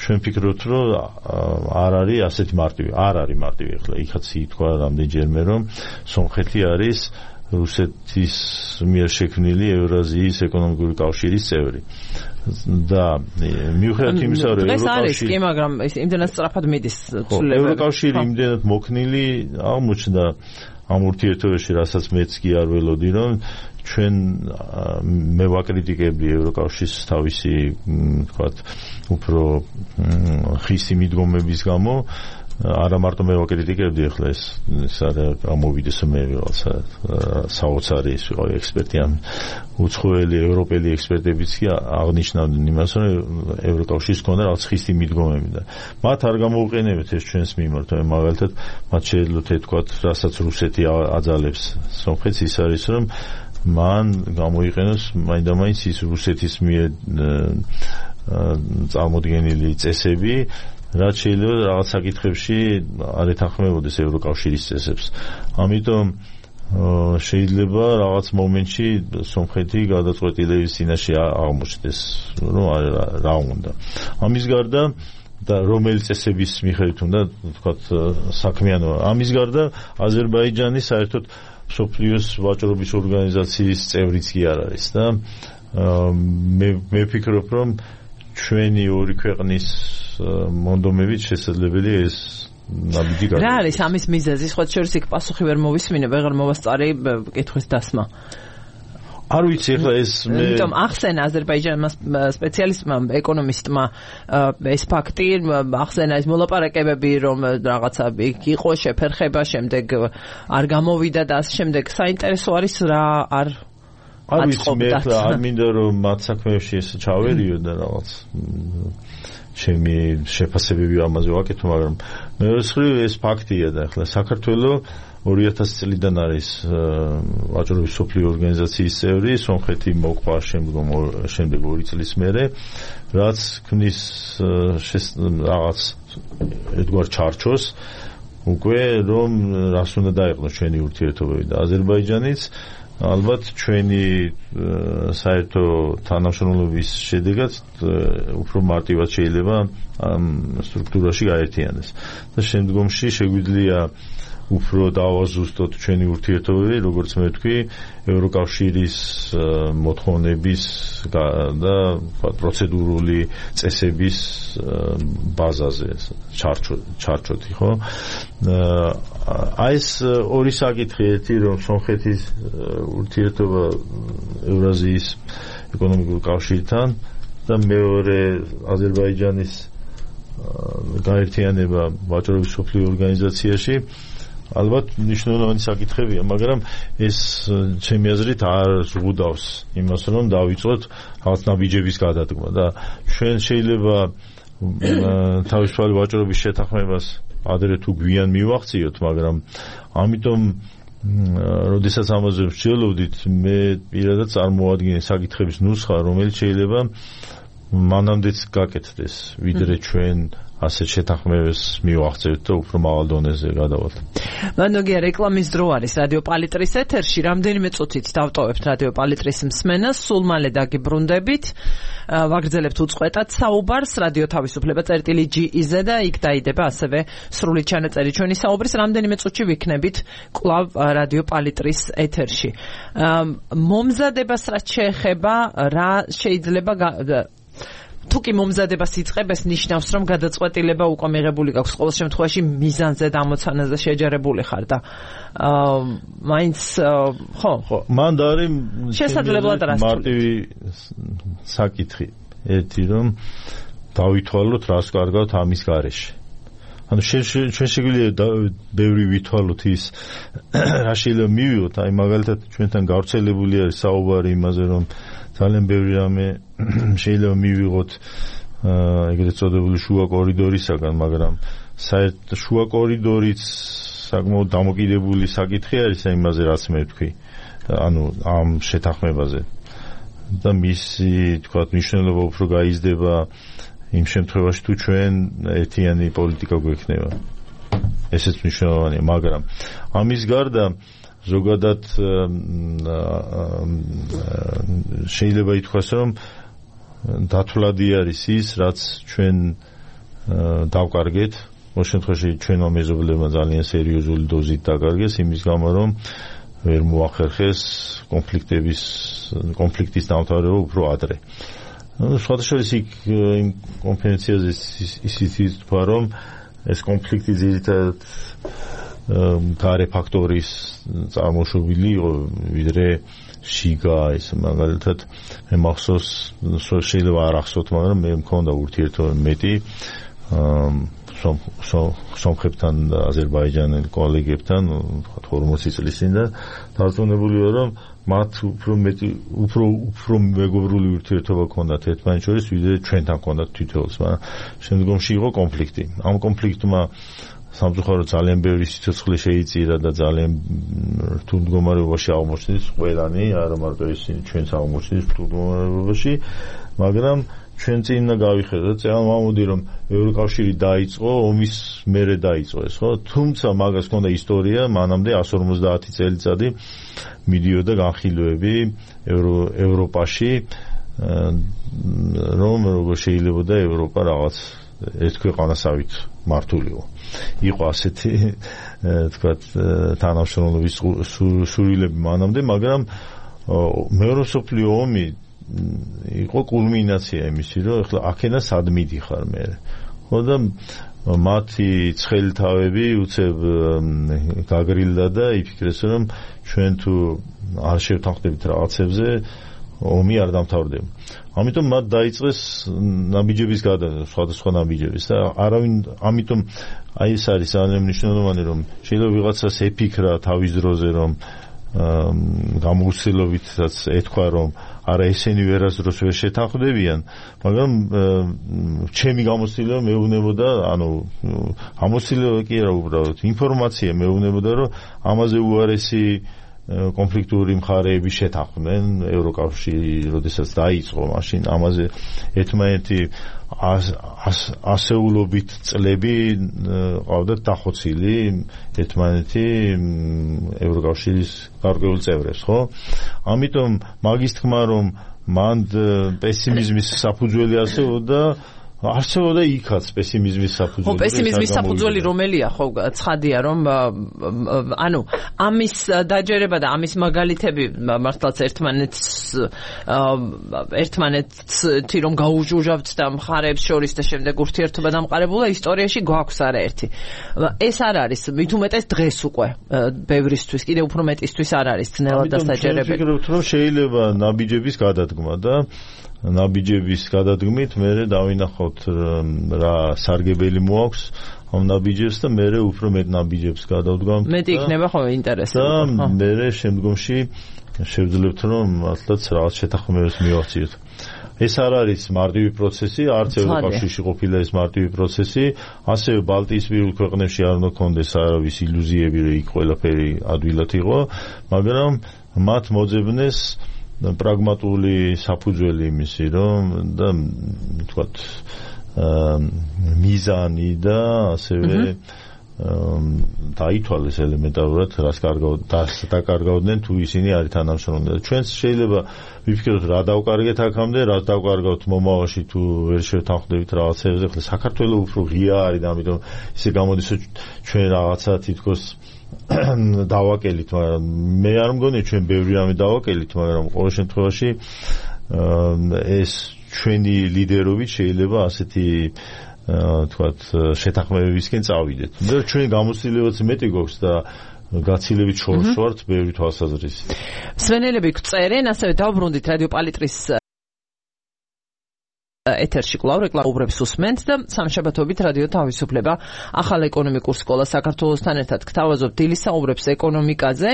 ჩვენ ფიქრობთ, რომ არ არის ასეთი მარტივი. არ არის მარტივი ახლა. იქაც ითქვა რამდენჯერმე, რომ სომხეთი არის რუსეთის მიერ შექმნილი ევრაზიის ეკონომიკური კავშირის წევრი. და მიუხედავად იმისა, რომ ეს არის კი, მაგრამ ეს იმდენად სწრაფად მიდის ცვლილება. ევროკავშირი იმდენად მოქნილი აღმოჩნდა ამ ურთიერთობაში, რასაც მეც კი არ ველოდი, რომ ჩვენ მე ვაკრიტიკებდი ევროკავშირის თავისი თქვათ უფრო ხისი მიდგომების გამო, არა მარტო მე ვაკრიტიკებდი, ახლა ეს არის ამოვიდეს მე რაღაცა საოცარი ის ვიყავი ექსპერტი ამ უცხოელი ევროპელი ექსპერტებიც კი აღნიშნავდნენ იმას, რომ ევროკავშირის ჰქონდა რაღაც ხისი მიდგომები და მათ არ გამოუყენებთ ეს ჩვენს მიმართ, მაგალითად მათ შეიძლება ეთქვათ, რასაც რუსეთი აძალებს სომხეთს, ის არის, რომ მან გამოიყენოს მაინდამაინც ის რუსეთის მიერ წარმოდგენილი წესები, რაც შეიძლება რაღაც საკითხებში არ ეთანხმებოდეს ევროკავშირის წესებს. ამიტომ შეიძლება რაღაც მომენტში სომხეთი გადაწყვეტილების წინაშე აღმოჩნდეს, რომ რა უნდა. ამის გარდა და რომელი წესების მიხედვით უნდა თქვათ საქმიანობა. ამის გარდა აზერბაიჯანი საერთოდ მსოფლიოს ვაჭრობის ორგანიზაციის წევრიც კი არ არის და მე ვფიქრობ, რომ ჩვენი ორი ქვეყნის მონდომებით შესაძლებელია ეს ნაბიჯი გაიგოს. რა არის ამის მიზეზი? სხვა შორის იქ პასუხი ვერ მოვისმინე, ვეღარ მოვასწარი კითხვის დასმა. არ ვიცი, ახლა ეს მე იმიტომ ახსენა აზერბაიჯანის სპეციალისტმა, ეკონომისტმა ეს ფაქტი, ახსენა ეს მოლაპარაკებები, რომ რაღაცა იყო შეფერხება, შემდეგ არ გამოვიდა და ასე შემდეგ. საინტერესო არის რა არ მე არ მინდა რომ მათ საქმეებში ეს ჩავერიო და რაღაც ჩემი შეფასებები ამაზე ვაკეთო, მაგრამ მეორე მხრივ ეს ფაქტია და ახლა საქართველოს 2000 წლიდან არის ვაჭრობის მსოფლიო ორგანიზაციის წევრი, სომხეთი მოყვა შემდეგ 2 წლის მერე, რაც ქმნის რაღაც ერთგვარ ჩარჩოს უკვე რომ რას უნდა დაეყნოს ჩვენი ურთიერთობები და აზერბაიჯანიც ალბათ ჩვენი საერთო თანამშრომლობის შედეგად უფრო მარტივად შეიძლება ამ სტრუქტურაში გაერთიანდეს და შემდგომში შეგვიძლია უფრო დავაზუსტოთ ჩვენი ურთიერთობები, როგორც მე ვთქვი, ევროკავშირის მოთხოვნების და პროცედურული წესების ბაზაზე ჩარჩოთი, ხო? აი ეს ორი საკითხი, ერთი რომ სომხეთის ურთიერთობა ევრაზიის ეკონომიკურ კავშირთან და მეორე აზერბაიჯანის გაერთიანება ვაჭრობის მსოფლიო ორგანიზაციაში ალბათ მნიშვნელოვანი საკითხებია, მაგრამ ეს ჩემი აზრით არ ზღუდავს იმას, რომ დავიწყოთ რაღაც ნაბიჯების გადადგმა და ჩვენ შეიძლება თავისუფალი ვაჭრობის შეთანხმებას ადრე თუ გვიან მივახციოთ, მაგრამ ამიტომ როდესაც ამაზე ვსჯელობდით, მე პირადად წარმოვადგინე საკითხების ნუსხა, რომელიც შეიძლება მანამდეც გაკეთდეს, ვიდრე ჩვენ ასეთ შეთანხმებას მივახცევთ და უფრო მაღალ დონეზე გადავალთ. მანდოგია რეკლამის დრო არის რადიო პალიტრის ეთერში. რამდენიმე წუთით დავტოვებთ რადიო პალიტრის მსმენას, სულ მალე დაგიბრუნდებით. ვაგრძელებთ უწყვეტად საუბარს რადიო თავისუფლება წერტილი.gz და იქ დაიდება ასევე სრული ჩანაწერი ჩვენი საუბრის. რამდენიმე წუთში ვიქნებით კვლავ რადიო პალიტრის ეთერში. მომზადებას რაც შეეხება, რა შეიძლება თუ კი მომზადებას იწყებს, ნიშნავს, რომ გადაწყვეტილება უკვე მიღებული გაქვს. ყოველ შემთხვევაში მიზანზე და ამოცანაზე შეჯერებული ხარ და მაინც ხო, მან არის შესაძლებლად რას მარტივი საკითხი. ერთი რომ დავითვალოთ, რას კარგავთ ამის გარეშე. ანუ ჩვენ შეგვიძლია ბევრი ვითვალოთ ის რა შეიძლება მივიღოთ, აი მაგალითად ჩვენთან გავრცელებული არის საუბარი იმაზე, რომ ძალიან ბევრი რამე შეიძლება მივიღოთ ეგრეთ წოდებული შუა კორიდორისაგან, მაგრამ საერთოდ შუა კორიდორიც საკმაოდ დამოკიდებული საკითხი არის იმაზე, რაც მე ვთქვი, ანუ ამ შეთანხმებაზე. და მისი თქვათ მნიშვნელობა უფრო გაიზრდება იმ შემთხვევაში თუ ჩვენ ერთიანი პოლიტიკა გვექნება. ესეც მნიშვნელოვანია, მაგრამ ამის გარდა ზოგადად შეიძლება ითქვას, რომ დათვლადი არის ის, რაც ჩვენ დავკარგეთ. ამ შემთხვევაში ჩვენმა მეზობლებმა ძალიან სერიოზული დოზით დაკარგეს, იმის გამო რომ ვერ მოახერხეს კონფლიქტის დამთავრება უფრო ადრე. სხვადასხვა იმ კონფერენციაზე ისიც თქვა, რომ ეს კონფლიქტი ძირითადად გარე ფაქტორის წარმოშობილი იყო, ვიდრე შიგა ეს მაგალითად მე მახსოვს, შეიძლება არ ახსოვთ, მაგრამ მე მქონდა ურთიერთობა მეტი სომხებთან და აზერბაიჯანელ კოლეგებთან 40 წლის წინ და დარწმუნებული ვარ, რომ მათ უფრო მეგობრული ურთიერთობა ჰქონდათ ერთმანეთს შორის, ვიდრე ჩვენთან ჰქონდათ თითოეულს, მაგრამ შემდგომში იყო კონფლიქტი. ამ კონფლიქტმა სამწუხაროდ ძალიან ბევრი სიცოცხლე შეიწირა და ძალიან რთულ მდგომარეობაში აღმოჩნდით ყველანი, არა მარტო ისინი, ჩვენც აღმოჩნდით რთულ მდგომარეობაში, მაგრამ ჩვენ წინ უნდა გავიხედოთ, წამოვიდი რომ ევროკავშირი დაიწყო, ომის მერე დაიწყო ეს, ხო? თუმცა მაგას ჰქონდა ისტორია, მანამდე 150 წელიწადი მიდიოდა განხილვები ევროპაში, რომ როგორ შეიძლება და ევროპა რაღაც ერთ ქვეყანასავით მართულიყო. იყო ასეთი თქვათ თანამშრომლობის სურვილები მანამდე, მაგრამ მეორე მსოფლიო ომი იყო კულმინაცია იმისი, რომ ახლა აქედან სად მიდიხარ მე. ხო და მათი ცხელი თავები უცებ გაგრილდა და იფიქრეს, რომ ჩვენ თუ არ შევთანხმდებით რაღაცებზე, ომი არ დამთავრდება. ამიტომ მათ დაიწყეს ნაბიჯების გადაწყობა, სხვადასხვა ნაბიჯების და არავინ, ამიტომ აი ეს არის ძალიან მნიშვნელოვანი, რომ შეიძლება ვიღაცას ეფიქრა თავის დროზე, რომ გამოცდილობითაც ეთქვა, რომ არა ესენი ვერასდროს ვერ შეთანხმდებიან, მაგრამ ჩემი გამოცდილება მეუბნებოდა, ანუ გამოცდილება კი არა, უბრალოდ ინფორმაცია მეუბნებოდა, რომ ამაზე უარესი კონფლიქტური მხარეები შეთანხმდნენ ევროკავშირი, როდესაც დაიწყო, მაშინ ამაზე ერთმანეთი ასეულობით წლები ყავდათ დახოცილი ერთმანეთი ევროკავშირის გარკვეულ წევრებს, ხო? ამიტომ მაგის თქმა, რომ მანდ პესიმიზმის საფუძველი არსებობდა იქაც პესიმიზმის საფუძველი. ხო, პესიმიზმის საფუძველი რომელია, ხო, ცხადია, რომ ანუ ამის დაჯერება და ამის მაგალითები მართლაც ერთმანეთს რომ გაუჟუჟავთ და მხარეებს შორის და შემდეგ ურთიერთობა დამყარებულა ისტორიაში გვაქვს არაერთი. ეს არ არის, მით უმეტეს დღეს უკვე ბევრისთვის, კიდევ უფრო მეტისთვის არ არის ძნელად დასაჯერებელი. ამიტომ ვფიქრობ, რომ შეიძლება ნაბიჯების გადადგმა და ნაბიჯების გადადგმით მე დავინახოთ რა სარგებელი მოაქვს ამ ნაბიჯებს და მე უფრო მეტ ნაბიჯებს გადავდგამთ. მეტი იქნება ხო ინტერესები. და მე შემდგომში შევძლებთ, რომ მართლაც რაღაც შეთანხმებებს მივახციოთ. ეს არ არის მარტივი პროცესი, არც ევროკავშირში ყოფილა ეს მარტივი პროცესი, ასევე ბალტიისპირულ ქვეყნებში არ უნდა კონდეს არავის ილუზიები, რომ იქ ყველაფერი ადვილად იყო, მაგრამ მათ მოძებნეს პრაგმატული საფუძველი იმისი, რომ და თქვათ მიზანი და ასევე დაითვალეს ელემენტარულად, რას დაკარგავდნენ თუ ისინი არის თანამშრომლები. ჩვენც შეიძლება ვიფიქროთ, რა დავკარგეთ აქამდე, რა დავკარგავთ მომავალში თუ ვერ შევთანხმდებით რაღაცებზე. ხლა საქართველოს უფრო ღია არის და ამიტომ ისე გამოდის, რომ ჩვენ რაღაცა თითქოს დავაკელით, მაგრამ მე არ მგონია ჩვენ ბევრი რამე დავაკელით, მაგრამ ყოველ შემთხვევაში ეს ჩვენი ლიდერობით შეიძლება ასეთი თქვათ შეთანხმებებისკენ წავიდეთ. და ჩვენ გამოცდილებაც მეტი გვაქვს და გაცილებით შორს ვართ ბევრი თვალსაზრისით. მსმენელები გწერენ, ასევე დავბრუნდით რადიო პალიტრის ეთერში კვლავ რეკლამურებს უსმენთ და სამშაბათობით რადიო თავისუფლება ახალ ეკონომიკურ სკოლას საქართველოსთან ერთად გთავაზობ დილის საუბრებს ეკონომიკაზე.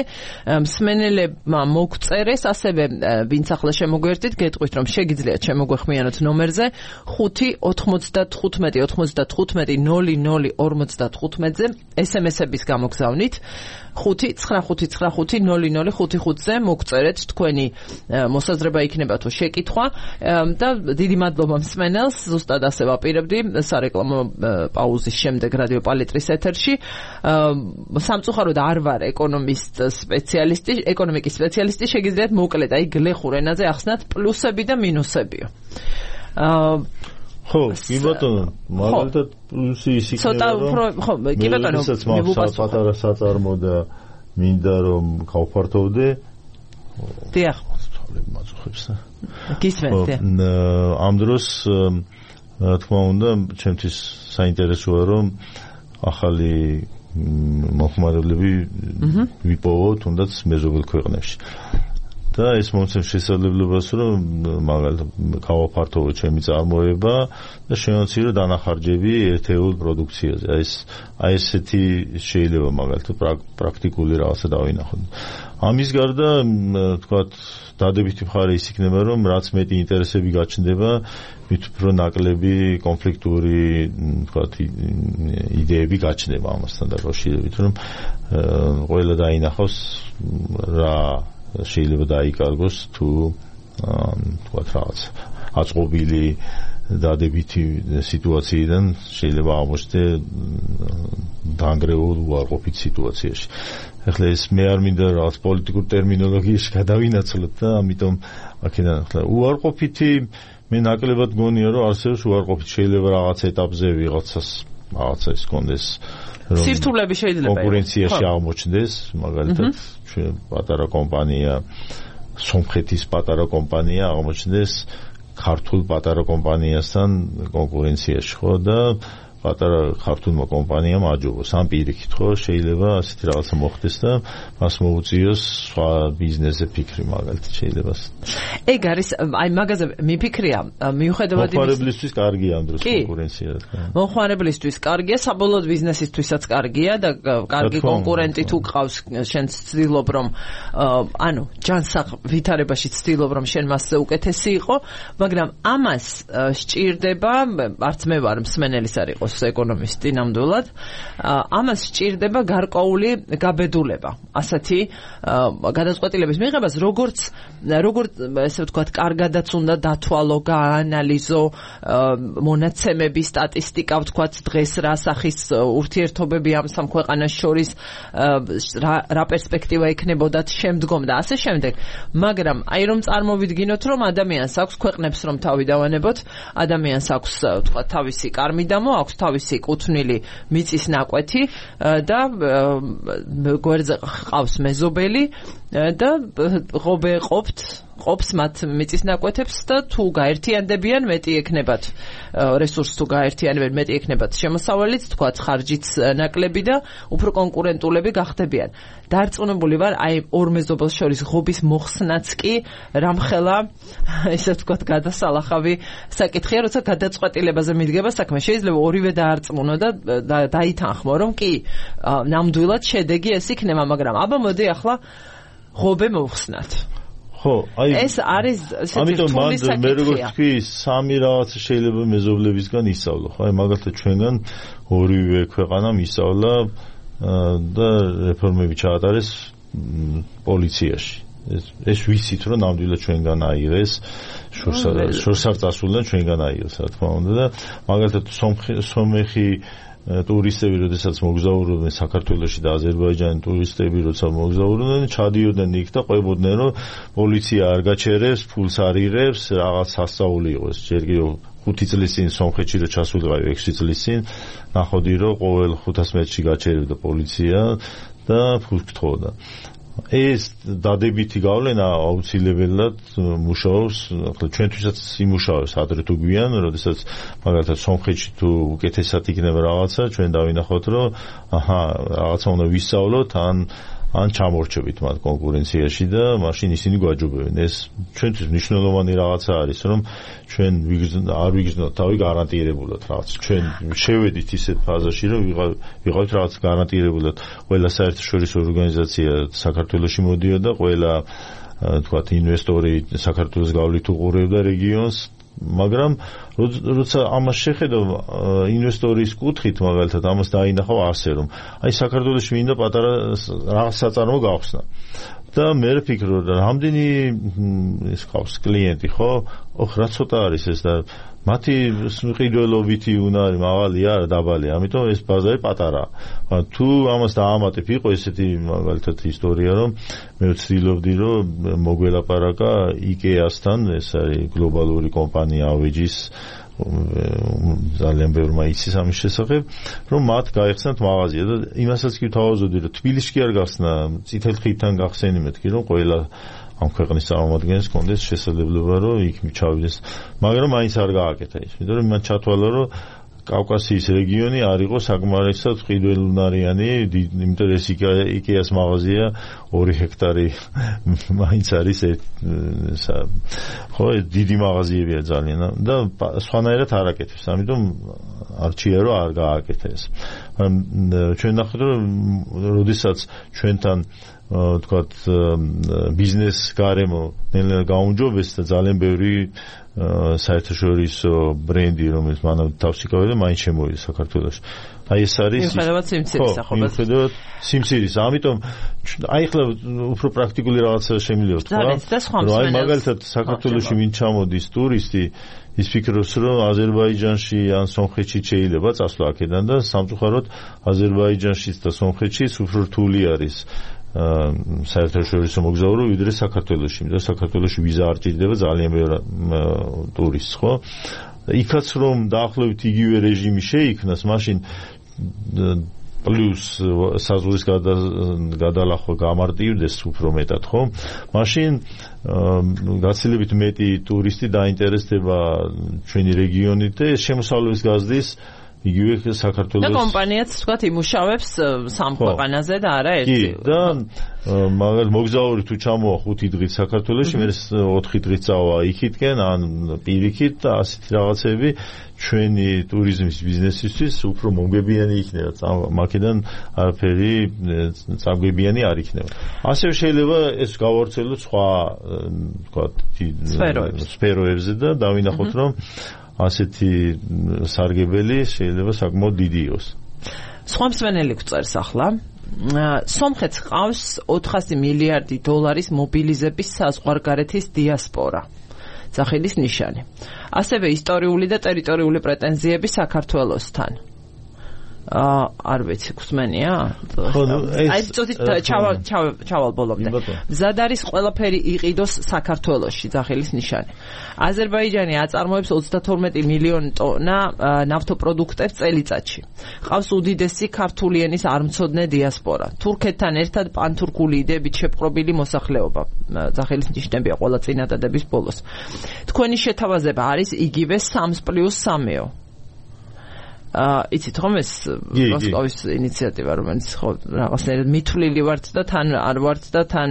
მსმენელებმა მოგწერეს, ასევე ვინც ახლა შემოგვერდით, გეტყვით რომ შეგიძლიათ შემოგვეხმიანოთ ნომერზე 5-95-95-00-55-ზე SMS-ების გამოგზავნით 5-95-95-00-55-ზე მოგწერეთ თქვენი მოსაზრება იქნება თუ შეკითხვა და დიდი მადლობა მსმენელს, ზუსტად ასე ვაპირებდი სარეკლამო პაუზის შემდეგ რადიო პალიტრის ეთერში. სამწუხაროდ არ ვარ ეკონომიკის სპეციალისტი, შეგიძლიათ მოკლედ აი გლეხურ ენაზე ახსნათ პლუსები და მინუსებიო. ხო, კი ბატონო, მაგალითად პლუსი ის იქნება, რომ კი ბატონო, პატარა საწარმო და მინდა რომ გავფართოვდე. დიახ. მაწუხებს და გისმენთ. ამ დროს რა თქმა უნდა, ჩემთვის საინტერესოა რომ ახალი მოხმარებლები ვიპოვო თუნდაც მეზობელ ქვეყნებში. და ეს მომცემს შესაძლებლობას რომ მაგალითად გავაფართოვო ჩემი წარმოება და შევამცირო დანახარჯები ერთეულ პროდუქციაზე. აი ესეთი შეიძლება მაგალითად პრაქტიკული რაღაცა დავინახოთ. ამის გარდა თქვათ დადებითი მხარე ის იქნება რომ რაც მეტი ინტერესები გაჩნდება მით უფრო ნაკლები კონფლიქტური თქვათ იდეები გაჩნდება ამასთან დაკავშირებით რომ ყველა დაინახავს რა შეიძლება დაიკარგოს თუ თქვათ რაღაც აწყობილი დადებითი სიტუაციიდან შეიძლება აღმოჩნდე დაანგრეულ უარყოფით სიტუაციაში. ახლა ეს მე არ მინდა რაღაც პოლიტიკურ ტერმინოლოგიაში გადავინაცვლოთ და ამიტომ აქედან ახლა უარყოფითი მე ნაკლებად გონია რომ არსებობს უარყოფით შეიძლება რაღაც ეტაპზე ვიღაცას რაღაცა ის კონდეს სირთულები შეიძლება კონკურენციაში აღმოჩნდეს მაგალითად ჩვენ პატარა კომპანია სომხეთის პატარა კომპანია აღმოჩნდეს ქართულ პატარა კომპანიასთან კონკურენციაში ხო და პატარა ქართულმა კომპანიამ აჯობოს ამ პირიქით ხო შეიძლება ასეთი რაღაცა მოხდეს და მას მოუწიოს სხვა ბიზნესზე ფიქრი მაგალითად შეიძლება ეგ არის აი მაგაზე მიფიქრია მიუხედავად იმის მოხმარებლისთვის კარგია ამ დროს კონკურენცია მოხმარებლისთვის კარგია საბოლოოდ ბიზნესისთვისაც კარგია და კარგი კონკურენტი თუ ყავს შენ ცდილობ რომ ანუ ჯანსაღ ვითარებაში ცდილობ რომ შენ მასზე უკეთესი იყო მაგრამ ამას სჭირდება არც მე ვარ მსმენელის არ იყოს ეკონომისტი ნამდვილად ამას სჭირდება გარკვეული გაბედულება ასეთი გადაწყვეტილების მიღებას როგორც ესე ვთქვათ კარგადაც უნდა დათვალო გაანალიზო მონაცემები სტატისტიკა ვთქვათ დღეს რა სახის ურთიერთობები ამ სამ ქვეყანას შორის რა პერსპექტივა ექნებოდათ შემდგომ და ასე შემდეგ მაგრამ აი რომ წარმოვიდგინოთ რომ ადამიანს აქვს ქვეყნებს რომ თავი დავანებოთ ადამიანს აქვს ვთქვათ თავისი კარმიდამო აქვს თავისი კუთვნილი მიწის ნაკვეთი და გვერდზე ყავს მეზობელი და ღობე ყოფს მათ მიწის ნაკვეთებს და თუ გაერთიანდებიან მეტი ექნებათ რესურსს თუ გაერთიანებენ მეტი ექნებათ შემოსავალიც თქვათ ხარჯიც ნაკლები და უფრო კონკურენტულები გახდებიან დარწმუნებული ვარ აი ორ მეზობელს შორის ღობის მოხსნაც კი რამხელა ესე ვთქვათ გადასალახავი საკითხია როცა გადაწყვეტილებაზე მიდგება საქმე შეიძლება ორივე დაარწმუნო და დაითანხმო რომ კი ნამდვილად შედეგი ეს იქნება მაგრამ აბა მოდი ახლა ღობე მოვხსნათ ხო აი ეს არის ამიტომ მე როგორც თქვი სამი რაღაცა შეიძლება მეზობლებისგან ისწავლო ხო აი მაგალითად ჩვენგან ორივე ქვეყანამ ისწავლა და რეფორმები ჩაატარეს პოლიციაში ეს ვიცით რომ ნამდვილად ჩვენგან აიღეს შორს არ წასულიდან ჩვენგან აიღეს რა თქმა უნდა და მაგალითად სომეხი ტურისტები როდესაც მოგზაურობდნენ საქართველოში და აზერბაიჯანის ტურისტები როცა მოგზაურობდნენ ჩადიოდნენ იქ და ყვებოდნენ რომ პოლიცია არ გაჩერებს ფულს არ იღებს რაღაც სასწაული იყოს ჯერ კიდევ 5 წლის წინ სომხეთში რო ჩასულიყავი 6 წლის წინ ნახოდი რომ ყოველ 500 მეტრში გაჩერებდა პოლიცია და ფულს გთხოვდა ეს დადებითი გავლენა აუცილებლად მუშაობს, ახლა ჩვენთვისაც იმუშავებს ადრე თუ გვიან, როდესაც მაგალითად სომხეთში თუ უკეთესად იქნება რაღაცა, ჩვენ დავინახოთ, რომ რაღაცა უნდა ვისწავლოთ, ან ან ჩამორჩებით მათ კონკურენციაში და მაშინ ისინი გვაჯობებენ. ეს ჩვენთვის მნიშვნელოვანი რაღაცა არის, რომ ჩვენ არ ვიგრძნოთ თავი გარანტირებულად რაღაც. ჩვენ შევედით ისეთ ფაზაში, რომ ვიყავით რაღაც გარანტირებულად. ყველა საერთაშორისო ორგანიზაცია საქართველოში მოდიოდა, ყველა თქვათ ინვესტორი საქართველოს გავლით უყურებდა რეგიონს, მაგრამ როცა ამას შეხედავ ინვესტორის კუთხით მაგალითად ამას დაინახავ ასე რომ აი საქართველოში მინდა პატარა რაღაც საწარმო გავხსნა და მე ვფიქრობ რომ რამდენი ის ყავს კლიენტი ხო რა ცოტა არის ეს და მათი ყიდველობითი უნარი მაღალია არა დაბალია ამიტომ ეს ბაზარი პატარაა თუ ამას დაამატებ იყო ესეთი მაგალითად ისტორია რომ მე ვცდილობდი რომ მოგველაპარაკა IKEA-სთან ეს არის გლობალური კომპანია ავეჯის ძალიან ბევრმა იცის ამის შესახებ რომ მათ გაიხსნათ მაღაზია და იმასაც კი ვთავაზობდი რომ თბილისში არ გახსნა წითელ ხიდთან გახსენი მეთქი რომ ყველა ამ ქვეყნის წარმომადგენლებს კონდეს შესაძლებლობა რომ იქ ჩავიდეს მაგრამ მაინც არ გააკეთა ის იმიტომ რომ მან ჩათვალა რომ კავკასიის რეგიონი არ იყო საკმარისად ყიდველუნარიანი იმიტომ ეს IKEA-ს მაღაზია 2 ჰექტარი მაინც არის ხო დიდი მაღაზიებია ძალიან და სხვანაირად არ აკეთებს ამიტომ არჩია რომ არ გააკეთა ეს ჩვენ ნახეთ რომ როდესაც ჩვენთან თქვათ ბიზნეს გარემო ნელ-ნელა გაუმჯობეს და ძალიან ბევრი საერთაშორისო ბრენდი რომელიც მანამ თავს იკავებდა მაინც შემოვიდა საქართველოში აი ეს არის მიუხედავად სიმცირის ახალ მიუხედავად სიმცირის ამიტომ აი ხლა უფრო პრაქტიკული რაღაცა შემიძლია ვთქვა რომ აი მაგალითად საქართველოში ვინ ჩამოდის ტურისტი ის ფიქრობს რომ აზერბაიჯანში ან სომხეთში შეიძლება წასვლა აქედან და სამწუხაროდ აზერბაიჯანშიც და სომხეთშიც უფრო რთული არის საერთაშორისო მოგზაურო ვიდრე საქართველოში, იმიტომ რომ საქართველოში ვიზა არ ჭირდება ძალიან ბევრ ტურისტს, ხო? იქაც რომ დაახლოებით იგივე რეჟიმი შეიქმნას, მაშინ პლუს საზღვრის გადალახვა გამარტივდეს უფრო მეტად, ხო? მაშინ გაცილებით მეტი ტურისტი დაინტერესდება ჩვენი რეგიონით და შემოსავლების გაზრდის იგივე საქართველოს და კომპანიაც თქვათ იმუშავებს სამ ქვეყანაზე და არა ერთი. კი, და მაგალითად მოგზაური თუ ჩამოვა 5 დღით საქართველოში, მე 4 დღით წავა იქითკენ ან პირიქით და ასეთი რაღაცები ჩვენი ტურიზმის ბიზნესისთვის უფრო მომგებიანი იქნება. მაქედან არაფერი წამგებიანი არ იქნება. ასევე შეიძლება ეს გავავრცელოთ სხვა თქვათ სფეროებზე და დავინახოთ რომ ასეთი სარგებელი შეიძლება საკმაოდ დიდი იყოს. სხვა მსმენელი გვწერს ახლა. სომხეთს ყავს 400 მილიარდი დოლარის მობილიზების საზღვარგარეთის დიასპორა. ძახილის ნიშანი. ასევე ისტორიული და ტერიტორიული პრეტენზიები საქართველოსთან. არ ვიცი, გსმენია? აი წუთით ჩავალ ბოლომდე. მზად არის ყველაფერი იყიდოს საქართველოში, ძახილის ნიშანი. აზერბაიჯანი აწარმოებს 32 მილიონი ტონა ნავთობპროდუქტებს წელიწადში. ყავს უდიდესი ქართული ენის არმცოდნე დიასპორა. თურქეთთან ერთად პანთურქული იდეებით შეპყრობილი მოსახლეობა. ძახილის ნიშნებია ყველა წინადადების ბოლოს. თქვენი შეთავაზება არის იგივე 3+3-ო. იცით ხომ ეს მოსკოვის ინიციატივა რომელიც ხო რაღაცნაირად მithვლილი ვართ და თან არ ვართ და თან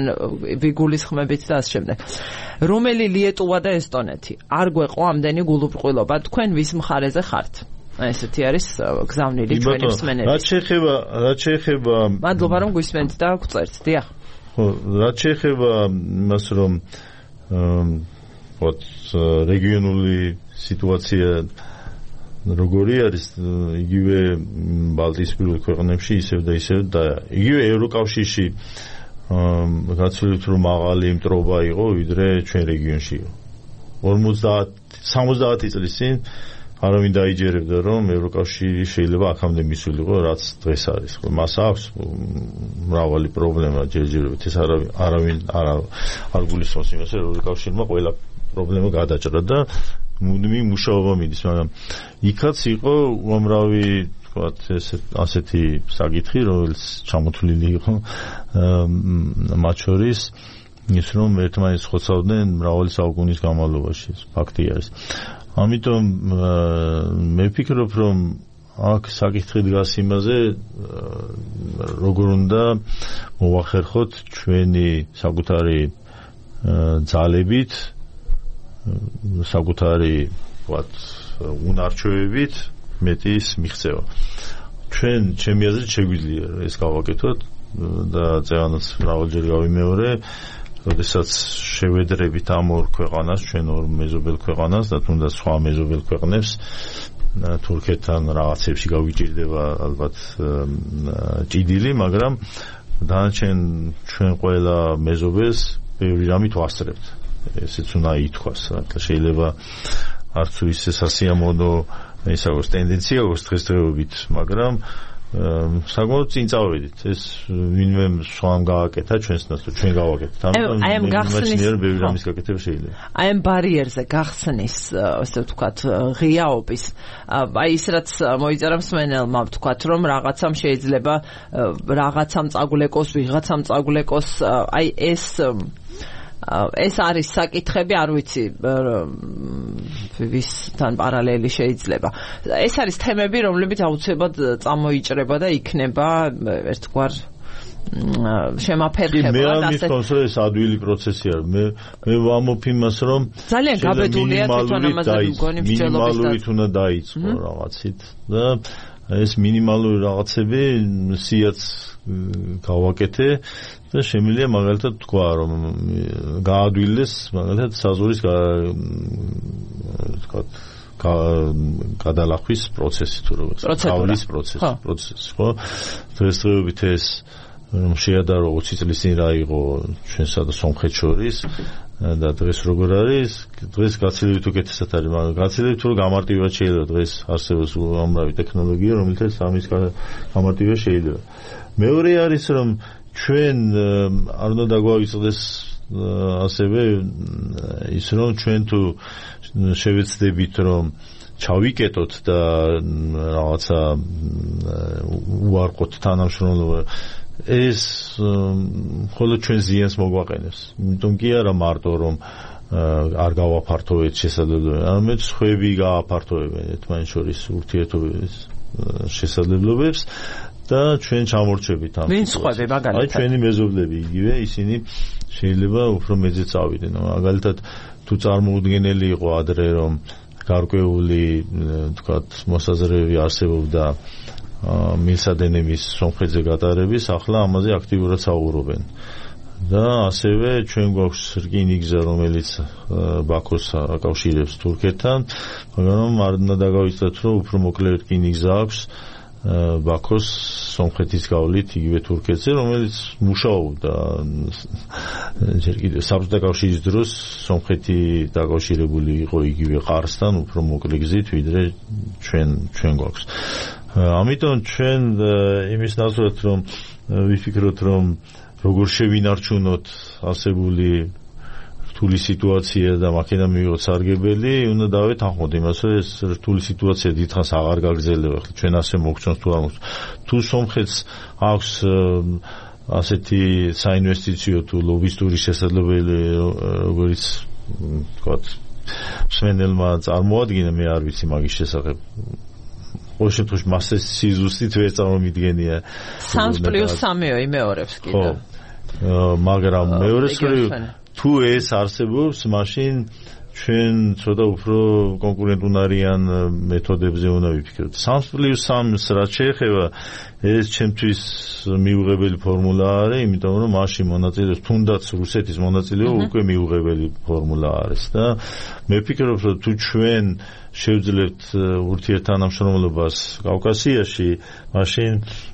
ვიგულისხმებით და ასე შემდეგ. რომელი ლიეტუვა და ესტონეთი არ გვეყო ამდენი გულუბრყვილობა თქვენ ვის მხარეზე ხართ? აი ესეთი არის გზავნილი ჩვენი მსმენელი. რაც შეეხება მადლობა რომ გვისმენთ და გვწერთ. დიახ. ხო, რაც შეეხება იმას რომ რეგიონული სიტუაცია როგორი არის იგივე ბალტიისპირულ ქვეყნებში ისევ და ისევ და იგივე ევროკავშირში გაცილებით რომ მაღალი მტრობა იყო ვიდრე ჩვენ რეგიონში იყო 50-70 წლის წინ არავინ დაიჯერებდა რომ ევროკავშირი შეიძლება აქამდე მისულიყო რაც დღეს არის ხო მას აქვს მრავალი პრობლემა ჯერჯერობით ეს არავინ არ გულისხმობს იმას რომ ევროკავშირმა ყველა პრობლემა გადაჭრა და მუდმივი მუშაობა მიდის, მაგრამ იქაც იყო უამრავი, თქვათ, ასეთი საკითხი, რომელიც ჩამოთვლილი იყო მათ შორის ის რომ ერთმანეთს ხოცავდნენ მრავალი საუკუნის განმავლობაში, ფაქტი არის. ამიტომ მე ვფიქრობ, რომ აქ საკითხი დგას იმაზე, როგორ უნდა მოვახერხოთ ჩვენი საკუთარი ძალებით, საკუთარი უნარჩვევებით მეტის მიღწევა. ჩვენ ჩემი აზრით შეგვიძლია ეს გავაკეთოთ და წევანაც მრავალჯერ გავიმეორე, როდესაც შევედრებით ამ ორ ქვეყანას, ჩვენ ორ მეზობელ ქვეყანას და თუნდაც სხვა მეზობელ ქვეყნებს თურქეთთან რაღაცებში გავიჭირდება ალბათ ჭიდილი, მაგრამ დანარჩენ ჩვენ ყველა მეზობელს ბევრი რამით ვასწრებთ. ესეც უნდა ითქვას, შეიძლება არც ისე სასიამოვნო ის აქვს ტენდენცია აქვს დღესდღეობით, მაგრამ საკმაოდ წინ წავედით. ეს ვინმე სხვამ გააკეთა ჩვენს ნაცვლად, ჩვენ გავაკეთეთ. აი ამ გახსნის ბევრი რამის გაკეთება შეიძლება. აი ამ ბარიერზე გახსნის, ასე ვთქვათ, ღიაობის. აი ის რაც მოიწერა მსმენელმა, ვთქვათ, რომ რაღაცამ შეიძლება რაღაცამ წაგულეკოს, ვიღაცამ წაგულეკოს, აი ეს არის საკითხები, არ ვიცი ვისთან პარალელი შეიძლება. ეს არის თემები, რომლებიც აუცილებლად წამოიჭრება და იქნება ერთგვარ შემაფერხება. მე ამის კონსოლეს ადვილი პროცესი არის. მე ვამბობ იმას, რომ ძალიან გაბედულია თვითონ ამაზე მგონი მინიმალურით უნდა დაიწყო რაღაცით და ეს მინიმალური რაღაცები სიაც გავაკეთე და შემიძლია მაგალითად თქვა, რომ გაადვილეს მაგალითად საზღვრის გადალახვის პროცესი თუ როგორც გავლის პროცესი, ხო? დღესდღეობით ეს რომ შეადარო 20 წლის წინ რა იყო ჩვენსა და სომხეთს შორის და დღეს როგორ არის, დღეს გაცილებით უკეთესად არის, მაგრამ გაცილებით უფრო გამარტივად შეიძლება დღეს არსებობს უამრავი ტექნოლოგია, რომელთაც ამის გამარტივება შეიძლება. მეორე არის, რომ ჩვენ არ უნდა დაგვაიწყდეს ასევე ის, რომ ჩვენ თუ შევეცდებით, რომ ჩავიკეტოთ და რაღაცა უარყოთ თანამშრომლობა, ეს მხოლოდ ჩვენ ზიანს მოგვაყენებს. იმიტომ კი არა მარტო რომ არ გავაფართოვეთ შესაძლებლობებს, არამედ სხვები გააფართოვებენ ერთმანეთს შორის ურთიერთობების შესაძლებლობებს და ჩვენ ჩამორჩებით ამ. ვინ სხვები მაგალითად? აი ჩვენი მეზობლები იგივე, ისინი შეიძლება უფრო მეძე წავიდნენ. მაგალითად თუ წარმოუდგენელი იყო ადრე რომ გარკვეული თქვათ მოსაზრებები არსებობდა მილსადენების სომხეთზე გატარების, ახლა ამაზე აქტიურად საუბრობენ. და ასევე ჩვენ გვაქვს რკინიგზა, რომელიც ბაქოს აკავშირებს თურქეთთან, მაგრამ არ უნდა დაგავიწყდეთ, რომ უფრო მოკლე რკინიგზა აქვს ბაქოს სომხეთის გავლით იგივე თურქეთზე, რომელიც მუშაობდა ჯერ კიდევ საბჭოთა კავშირის დროს სომხეთი დაკავშირებული იყო იგივე ყარსთან, უფრო მოკლე გზით, ვიდრე ჩვენ გვაქვს. ამიტომ ჩვენ იმის ნაცვლად რომ ვიფიქროთ, რომ როგორ შევინარჩუნოთ არსებული რთული სიტუაცია და მაქედან მივიღოთ სარგებელი, უნდა დავეთანხმოთ იმას, რომ ეს რთული სიტუაცია დიდხანს აღარ გაგრძელდება. ახლა ჩვენ ასე მოგწონს თუ არ მოგწონს. თუ სომხეთს აქვს ასეთი საინვესტიციო თუ ლობისტური შესაძლებლობები, როგორც თქვათ მსმენელმა წარმოადგინა, მე არ ვიცი მაგის შესახებ. ყოველ შემთხვევაში მასე სიზუსტით ვერ წარმომიდგენია 3+3-ო იმეორებს კიდე. მაგრამ მეორე მხრივ თუ ეს არსებობს, მაშინ ჩვენ ცოტა უფრო კონკურენტუნარიან მეთოდებზე უნდა ვიფიქროთ. 3+3-ს რაც შეეხება, ეს ჩემთვის მიუღებელი ფორმულა არის, იმიტომ რომ მაშინ მონაწილეობს თუნდაც რუსეთის მონაწილეობა უკვე მიუღებელი ფორმულა არის და მე ვფიქრობ, რომ თუ ჩვენ შევძლებთ ურთიერთთანამშრომლობას კავკასიაში, მაშინ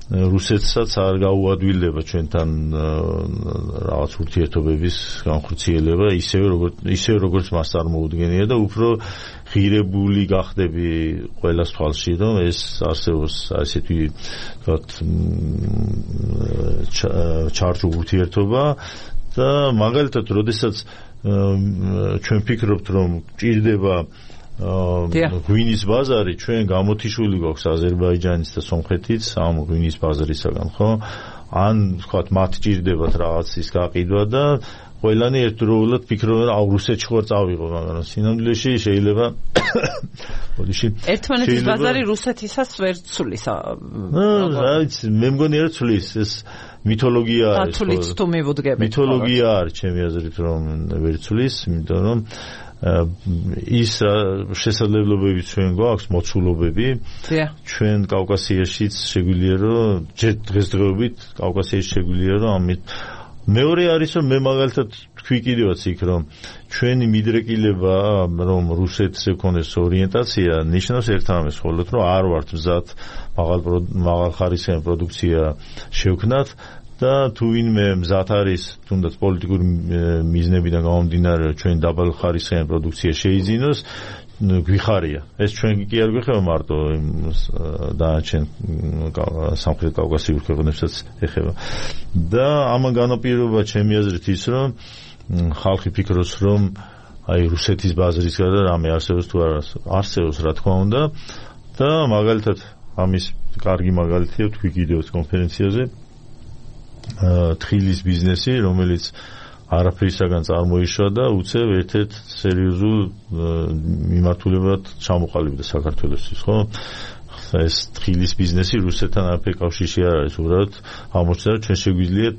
რუსეთსაც არ გაუადვილდება ჩვენთან რაღაც ურთიერთობების განხორციელება ისევ როგორც მას წარმოუდგენია და უფრო ღირებული გახდები ყველას თვალში, რომ ეს არსებობს ასეთი ჩარჩო ურთიერთობა და მაგალითად, როდესაც ჩვენ ვფიქრობთ, რომ ჭირდება ღვინის ბაზარი, ჩვენ გამოთიშვილი გვაქვს აზერბაიჯანის და სომხეთის ამ ღვინის ბაზარისაგან, ხო? ან ვთქვათ, მათ ჭირდებათ რაღაც ის გაყიდვა და ყველანი ერთდროულად ფიქრობენ, რომ რუსეთში ხარ წავიღო, მაგრამ სინამდვილეში შეიძლება ერთმანეთის ბაზარი რუსეთისას ვერ ცulis. მე მგონი არ ცulis ეს მითოლოგია არის. დათვლით თუ მივუდგებით. მითოლოგია არის ჩემი აზრით რომ ვერ ცulis, იმიტომ რომ ის შესაძლებლობები ჩვენ გვაქვს მოცულობები ჩვენ კავკასიაშიც შეგვიძლია რომ დღესდღეობით კავკასიაში შეგვიძლია რომ ამით მეორე არის რომ მე მაგალითად თქვი კიდევაც იქ რომ ჩვენი მიდრეკილება რომ რუსეთზე ქონდეს ორიენტაცია ნიშნავს ერთამეს ხოლოდ რომ არ ვართ მზად მაღალ ხარისხიანი პროდუქცია შევქნათ და თუ ვინმე მზად არის თუნდაც პოლიტიკური მიზნებიდან გამომდინარე ჩვენ დაბალ ხარისხიანი პროდუქცია შეიძინოს გვიხარია ეს ჩვენ კი არ გვეხება მარტო დანარჩენ სამხრეთ კავკასიურ ქვეყნებსაც ეხება და ამან განაპირობა ჩემი აზრით ის რომ ხალხი ფიქრობს რომ აი რუსეთის ბაზრის გარდა რამე არსებობს თუ არ არსებობს რა თქმა უნდა და მაგალითად ამის კარგი მაგალითია თქვი კიდევ კონფერენციაზე თხილის ბიზნესი რომელიც არაფრისაგან წარმოიშვა და უცებ ერთ-ერთ სერიოზულ მიმართულებად ჩამოყალიბდა საქართველოსთვის, ხო? ეს თხილის ბიზნესი რუსეთთან არაფერი კავშირში არ არის, უბრალოდ აღმოჩნდა რომ ჩვენ შეგვიძლია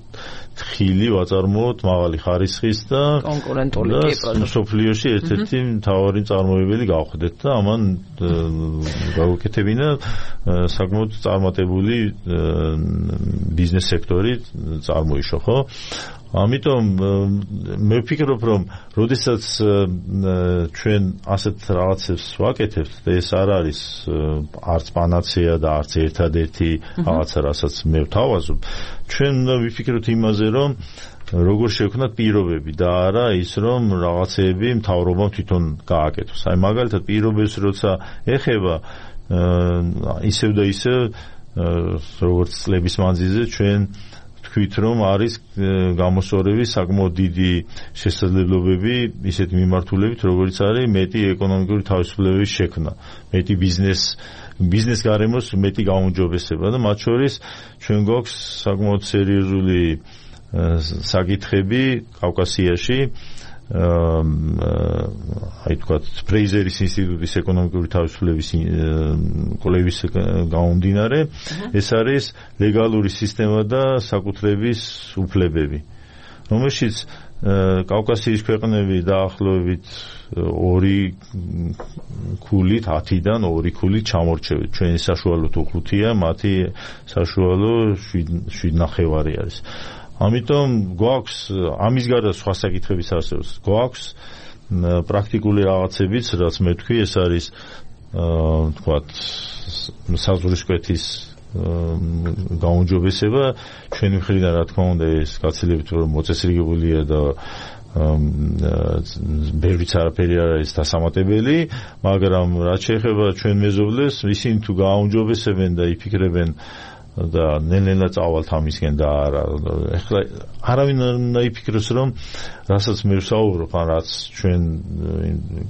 თხილი ვაწარმოოთ მაღალი ხარისხის და კონკურენტული სოფლიოში ერთ-ერთი მთავარი წარმოებელი გავხდეთ და ამან გავუკეთებინა საკმაოდ წარმატებული ბიზნეს სექტორი წარმოიშვა, ხო? ამიტომ მე ვფიქრობ რომ როდესაც ჩვენ ასეთ რაღაცებს ვაკეთებთ და ეს არ არის არც პანაცეა და არც ერთადერთი რაღაცა რასაც მე ვთავაზობ ჩვენ უნდა ვიფიქროთ იმაზე რომ როგორ შევქნათ პირობები და არა ის რომ რაღაცეები მთავრობამ თვითონ გააკეთოს აი მაგალითად პირობებს როცა ეხება ისევ და ისევ როგორც წლების მანძილზე ჩვენ თქვით რომ არის გამოსწორების საკმაოდ დიდი შესაძლებლობები ისეთ მიმართულებით როგორც არის მეტი ეკონომიკური თავისუფლების შექმნა მეტი ბიზნეს გარემოს მეტი გაუმჯობესება და მათ შორის ჩვენ გვაქვს საკმაოდ სერიოზული საკითხები კავკასიაში აი თქვათ ფრეიზერის ინსტიტუტის ეკონომიკური თავისუფლების კვლევის გამომდინარე ეს არის ლეგალური სისტემა და საკუთრების უფლებები რომელშიც კავკასიის ქვეყნები დაახლოებით 2 ქულით 10-დან 2 ქულით ჩამორჩევით ჩვენი საშუალო თუ 5-ია მათი საშუალო 7.5 არის ამიტომ გვაქვს ამის გარდა სხვა საკითხებიც არსებობს გვაქვს პრაქტიკული რაღაცებიც რაც მე თქვი ეს არის თქვათ საზღვრისკვეთის გაუმჯობესება ჩვენი მხრიდან რა თქმა უნდა ეს გაცილებით რომ მოწესრიგებულია და ბევრიც არაფერი არ არის დასამატებელი მაგრამ რაც შეეხება ჩვენ მეზობლებს ისინი თუ გააუმჯობესებენ და იფიქრებენ და ნელ-ნელა წავალთ ამისკენ და ახლა არავინ არ იფიქროს რომ რასაც მე ვსაუბრობ ან რაც ჩვენ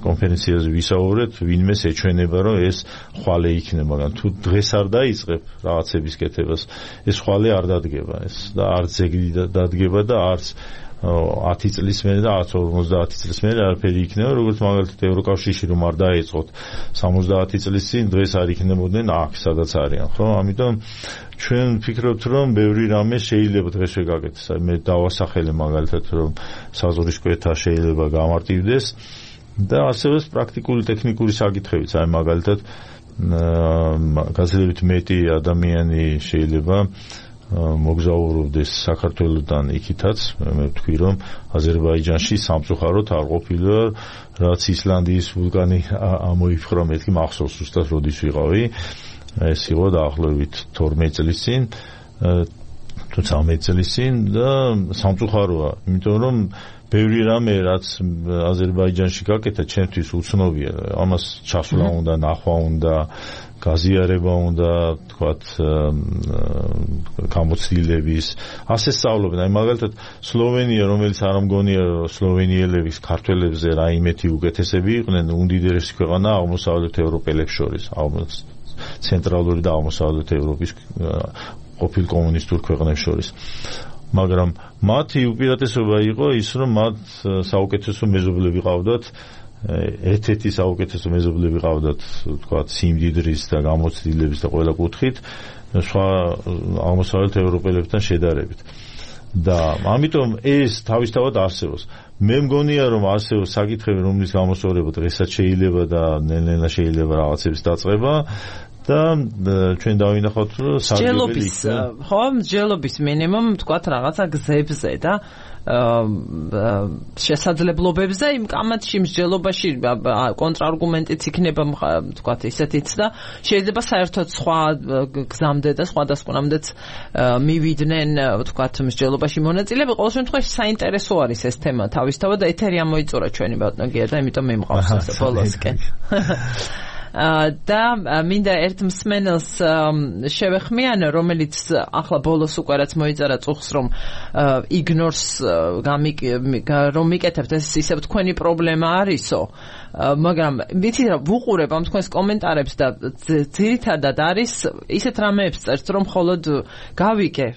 კონფერენციაზე ვისაუბრეთ ვინმეს ეჩვენება რომ ეს ხვალე იქნება მაგრამ თუ დღეს არ დაიწყებ რაღაცების კეთებას ეს ხვალე არ დადგება ეს და არც ეგრე დადგება და არც 10 წლის მერე და 50 წლის მერე არაფერი იქნება როგორც მაგალითად ევროკავშირში რომ არ დაეწყოთ 70 წლის წინ დღეს არ იქნებოდნენ აქ სადაც არიან ხო ამიტომ ჩვენ ვფიქრობთ რომ ბევრი რამე შეიძლება დღესვე გაკეთდეს აი მე დავასახელე მაგალითად რომ საზღვრისკვეთა შეიძლება გამარტივდეს და არსებობს პრაქტიკული ტექნიკური საკითხებიც აი მაგალითად გაცილებით მეტი ადამიანი შეიძლება მოგზაურობდეს საქართველოსთან იქითაც მე ვთქვი რომ აზერბაიჯანში სამწუხაროდ არ ყოფილა რაც ისლანდიის ვულკანი ამოიფხვრა მეთქი მახსოვს ზუსტად როდის ვიყავი ეს იყო დაახლოებით 12 წლის წინ თუ 13 წლის წინ და სამწუხაროა იმიტომ რომ ბევრი რამე რაც აზერბაიჯანში გაკეთა ჩვენთვის უცნობია ამას ჩასვლა უნდა ნახვა უნდა გაზიარება უნდა თქვათ გამოცდილების ასე სწავლობენ აი მაგალითად სლოვენია რომელიც არ მგონია სლოვენიელების ქართველებზე რაიმეთი უკეთესები იყვნენ უდიდესი ქვეყანა აღმოსავლეთ ევროპელებს შორის ცენტრალური და აღმოსავლეთ ევროპის ყოფილ კომუნისტურ ქვეყნებს შორის მაგრამ მათი უპირატესობა იყო ის რომ მათ საუკეთესო მეზობლები ყავდათ ერთ-ერთი საუკეთესო მეზობლები ყავდათ, თქვათ, სიმდიდრის და გამოცდილების და ყველა კუთხით, სხვა აღმოსავლეთ ევროპელებთან შედარებით. და ამიტომ ეს თავისთავად არსებობს. მე მგონია, რომ არსებობს საკითხები, რომლის გამოსწორება დღესაც შეიძლება და ნელ-ნელა შეიძლება რაღაცების დაწყება და ჩვენ დავინახავთ, რომ სარგებელი ხო, მსჯელობის მინიმუმ თქვათ რაღაცა გზებზე და შესაძლებლობებზე იმ კამათში მსჯელობაში კონტრარგუმენტიც იქნება თქვათ ისეთიც და შეიძლება საერთოდ სხვა გზამდე და სხვადასხვამდეც მივიდნენ თქვათ მსჯელობაში მონაწილეები. ყოველ შემთხვევაში საინტერესო არის ეს თემა თავისთავად და ეთერი ამოიწურა ჩვენი ბატონო გია და იმიტომ მიმყავს ეს ბოლოსკენ. და მინდა ერთ მსმენელს შევეხმიანო, რომელიც ახლა ბოლოს უკვე რაც მოიწერა წუხს, რომ იგნორს რომ მიკეთებთ, ეს ისევ თქვენი პრობლემა არისო, მაგრამ ვიცი რა ვუყურებ ამ თქვენს კომენტარებს და ძირითადად არის ისეთ რამეებს წერთ, რომ მხოლოდ გავიკე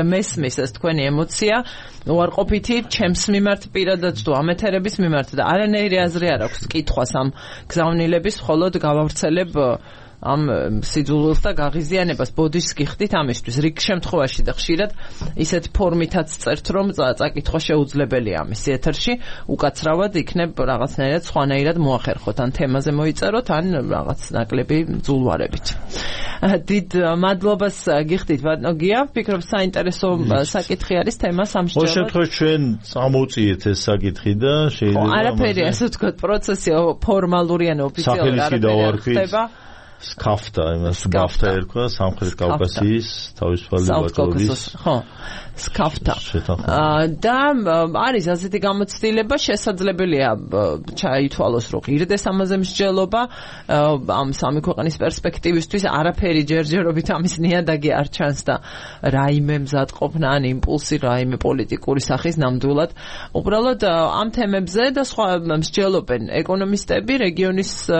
მესმის ეს თქვენი ემოცია უარყოფითი ჩემს მიმართ პირადად თუ ამეთერების მიმართ და არანაირი აზრი არ აქვს კითხვას ამ გზავნილების, მხოლოდ გავავრცელებ ამ სიძულვილს და გაღიზიანებას ბოდიშს გიხდით ამისთვის. რიგ შემთხვევაში და ხშირად ისეთ ფორმითაც წერთ, რომ წაკითხვა შეუძლებელია ამისი ეთერში, უკაცრავად იქნებ რაღაცნაირად სხვანაირად მოახერხოთ, ან თემაზე მოიწეროთ, ან რაღაც ნაკლები ძულვარებით. დიდ მადლობას გიხდით ბატონო გია, ვფიქრობ საინტერესო საკითხი არის თემა სამსჯელოდ. ყოველ შემთხვევაში ჩვენ წამოვწიეთ ეს საკითხი და შეიძლება არაფერი ასე ვთქვათ პროცესი ფორმალური ან ოფიციალური არ ხდება. სკაფტა, იმას სკაფტა ერქვა სამხრეთ კავკასიის თავისუფალი ვაჭრობის. ხო, სკაფტა. და არის ასეთი გამოცდილება, შესაძლებელია ჩაითვალოს, რომ ღირდეს ამაზე მსჯელობა ამ სამი ქვეყნის პერსპექტივისთვის არაფერი ჯერჯერობით ამის ნიადაგი არ ჩანს და რაიმე მზადყოფნა ან იმპულსი რაიმე პოლიტიკური სახის ნამდვილად. უბრალოდ ამ თემებზე და სხვა მსჯელობენ ეკონომისტები, რეგიონის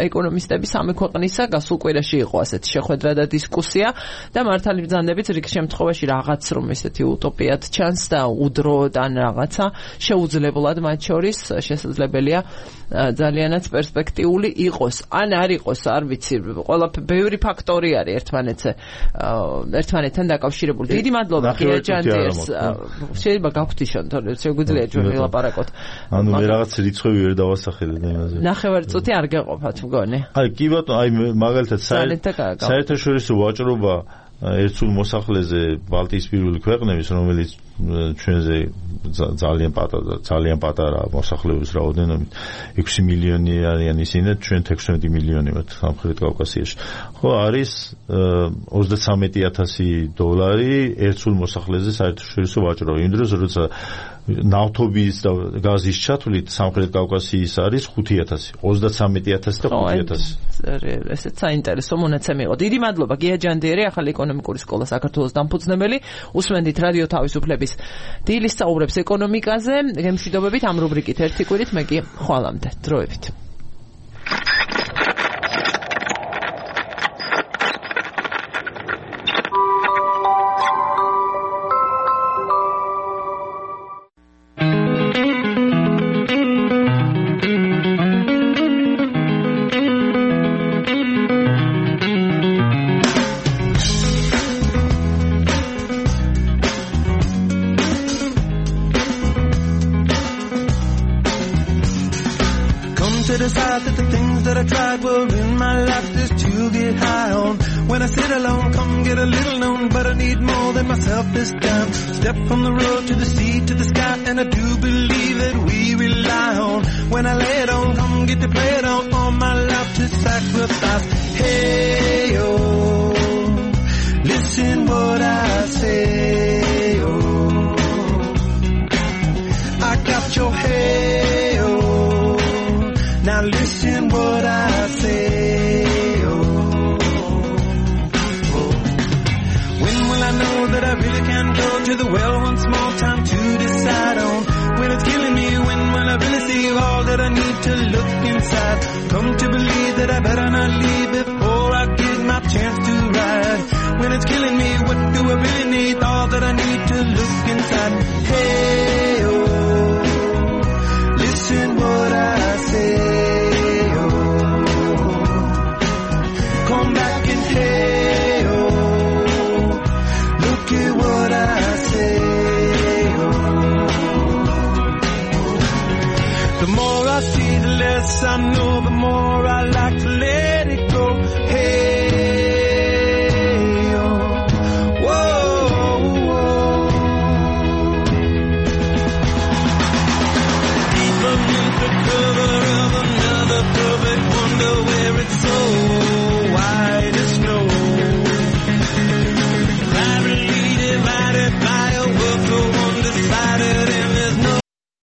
ეკონომისტები სამი ქვეყნისა გასულ კვირაში იყო ასეთი შეხვედრა და დისკუსია და მართალი ბრძანდებით რიგ შემთხვევაში რაღაც რომ ესეთი утопиად ჩანს და უდროდ ან რაღაცა შეუძლებლად მათ შორის შესაძლებელია ძალიანაც პერსპექტიული იყოს ან არ იყოს, არ ვიცი, ბევრი ფაქტორი არის ერთმანეთთან დაკავშირებული. დიდი მადლობა გია ჯანდიერს. შეიძლება გავხდიშონ, თორემ შეგვიძლია ჩვენ ვილაპარაკოთ. ანუ მე რაღაც რიცხვები ვერ დავასახელებ იმაზე. ნახევარ წუთი არ გეყოფათ მგონი. აი კი ბატონო, აი მაგალითად საერთაშორისო ვაჭრობა ერთსულ მოსახლეზე ბალტიისპირული ქვეყნების, რომელიც ჩვენზე ძალიან პატარა მოსახლეობის რაოდენობით 6 მილიონი არიან ისინი, ჩვენ 16 მილიონი ვართ სამხრეთ კავკასიაში. ხო, არის $33,000 ერთსულ მოსახლეზე საერთაშორისო ვაჭრობა. იმ დროს როცა ნავთობის და გაზის ჩათვლით სამხრეთ კავკასიის არის 5,000, 33,000 და 5,000. ესეც საინტერესო მონაცემი იყო. დიდი მადლობა გია ჯანდიერი, ახალი ეკონომიკური სკოლა საქართველოს დამფუძნებელი. უსმენდით რადიო თავისუფლების დილის საუბრებს ეკონომიკაზე. გემშვიდობებით ამ რუბრიკით ერთი კვირით, მე კი ხვალამდე დროებით. Step from the road to the sea to the sky, and I do believe that we rely on. When I lay it on, come get to play it on. All my life to sacrifice. Hey oh, listen what I say. Oh, I got your hey oh. Now listen what I say. That I really can go to the well once more, time to decide on when it's killing me, when will I really see all that I need to look inside. Come to believe that I better not leave before I get my chance to ride. When it's killing me, what do I really need? All that I need to look inside. Hey oh, listen what I The more I see, the less I know, the more I like to let it go. Hey.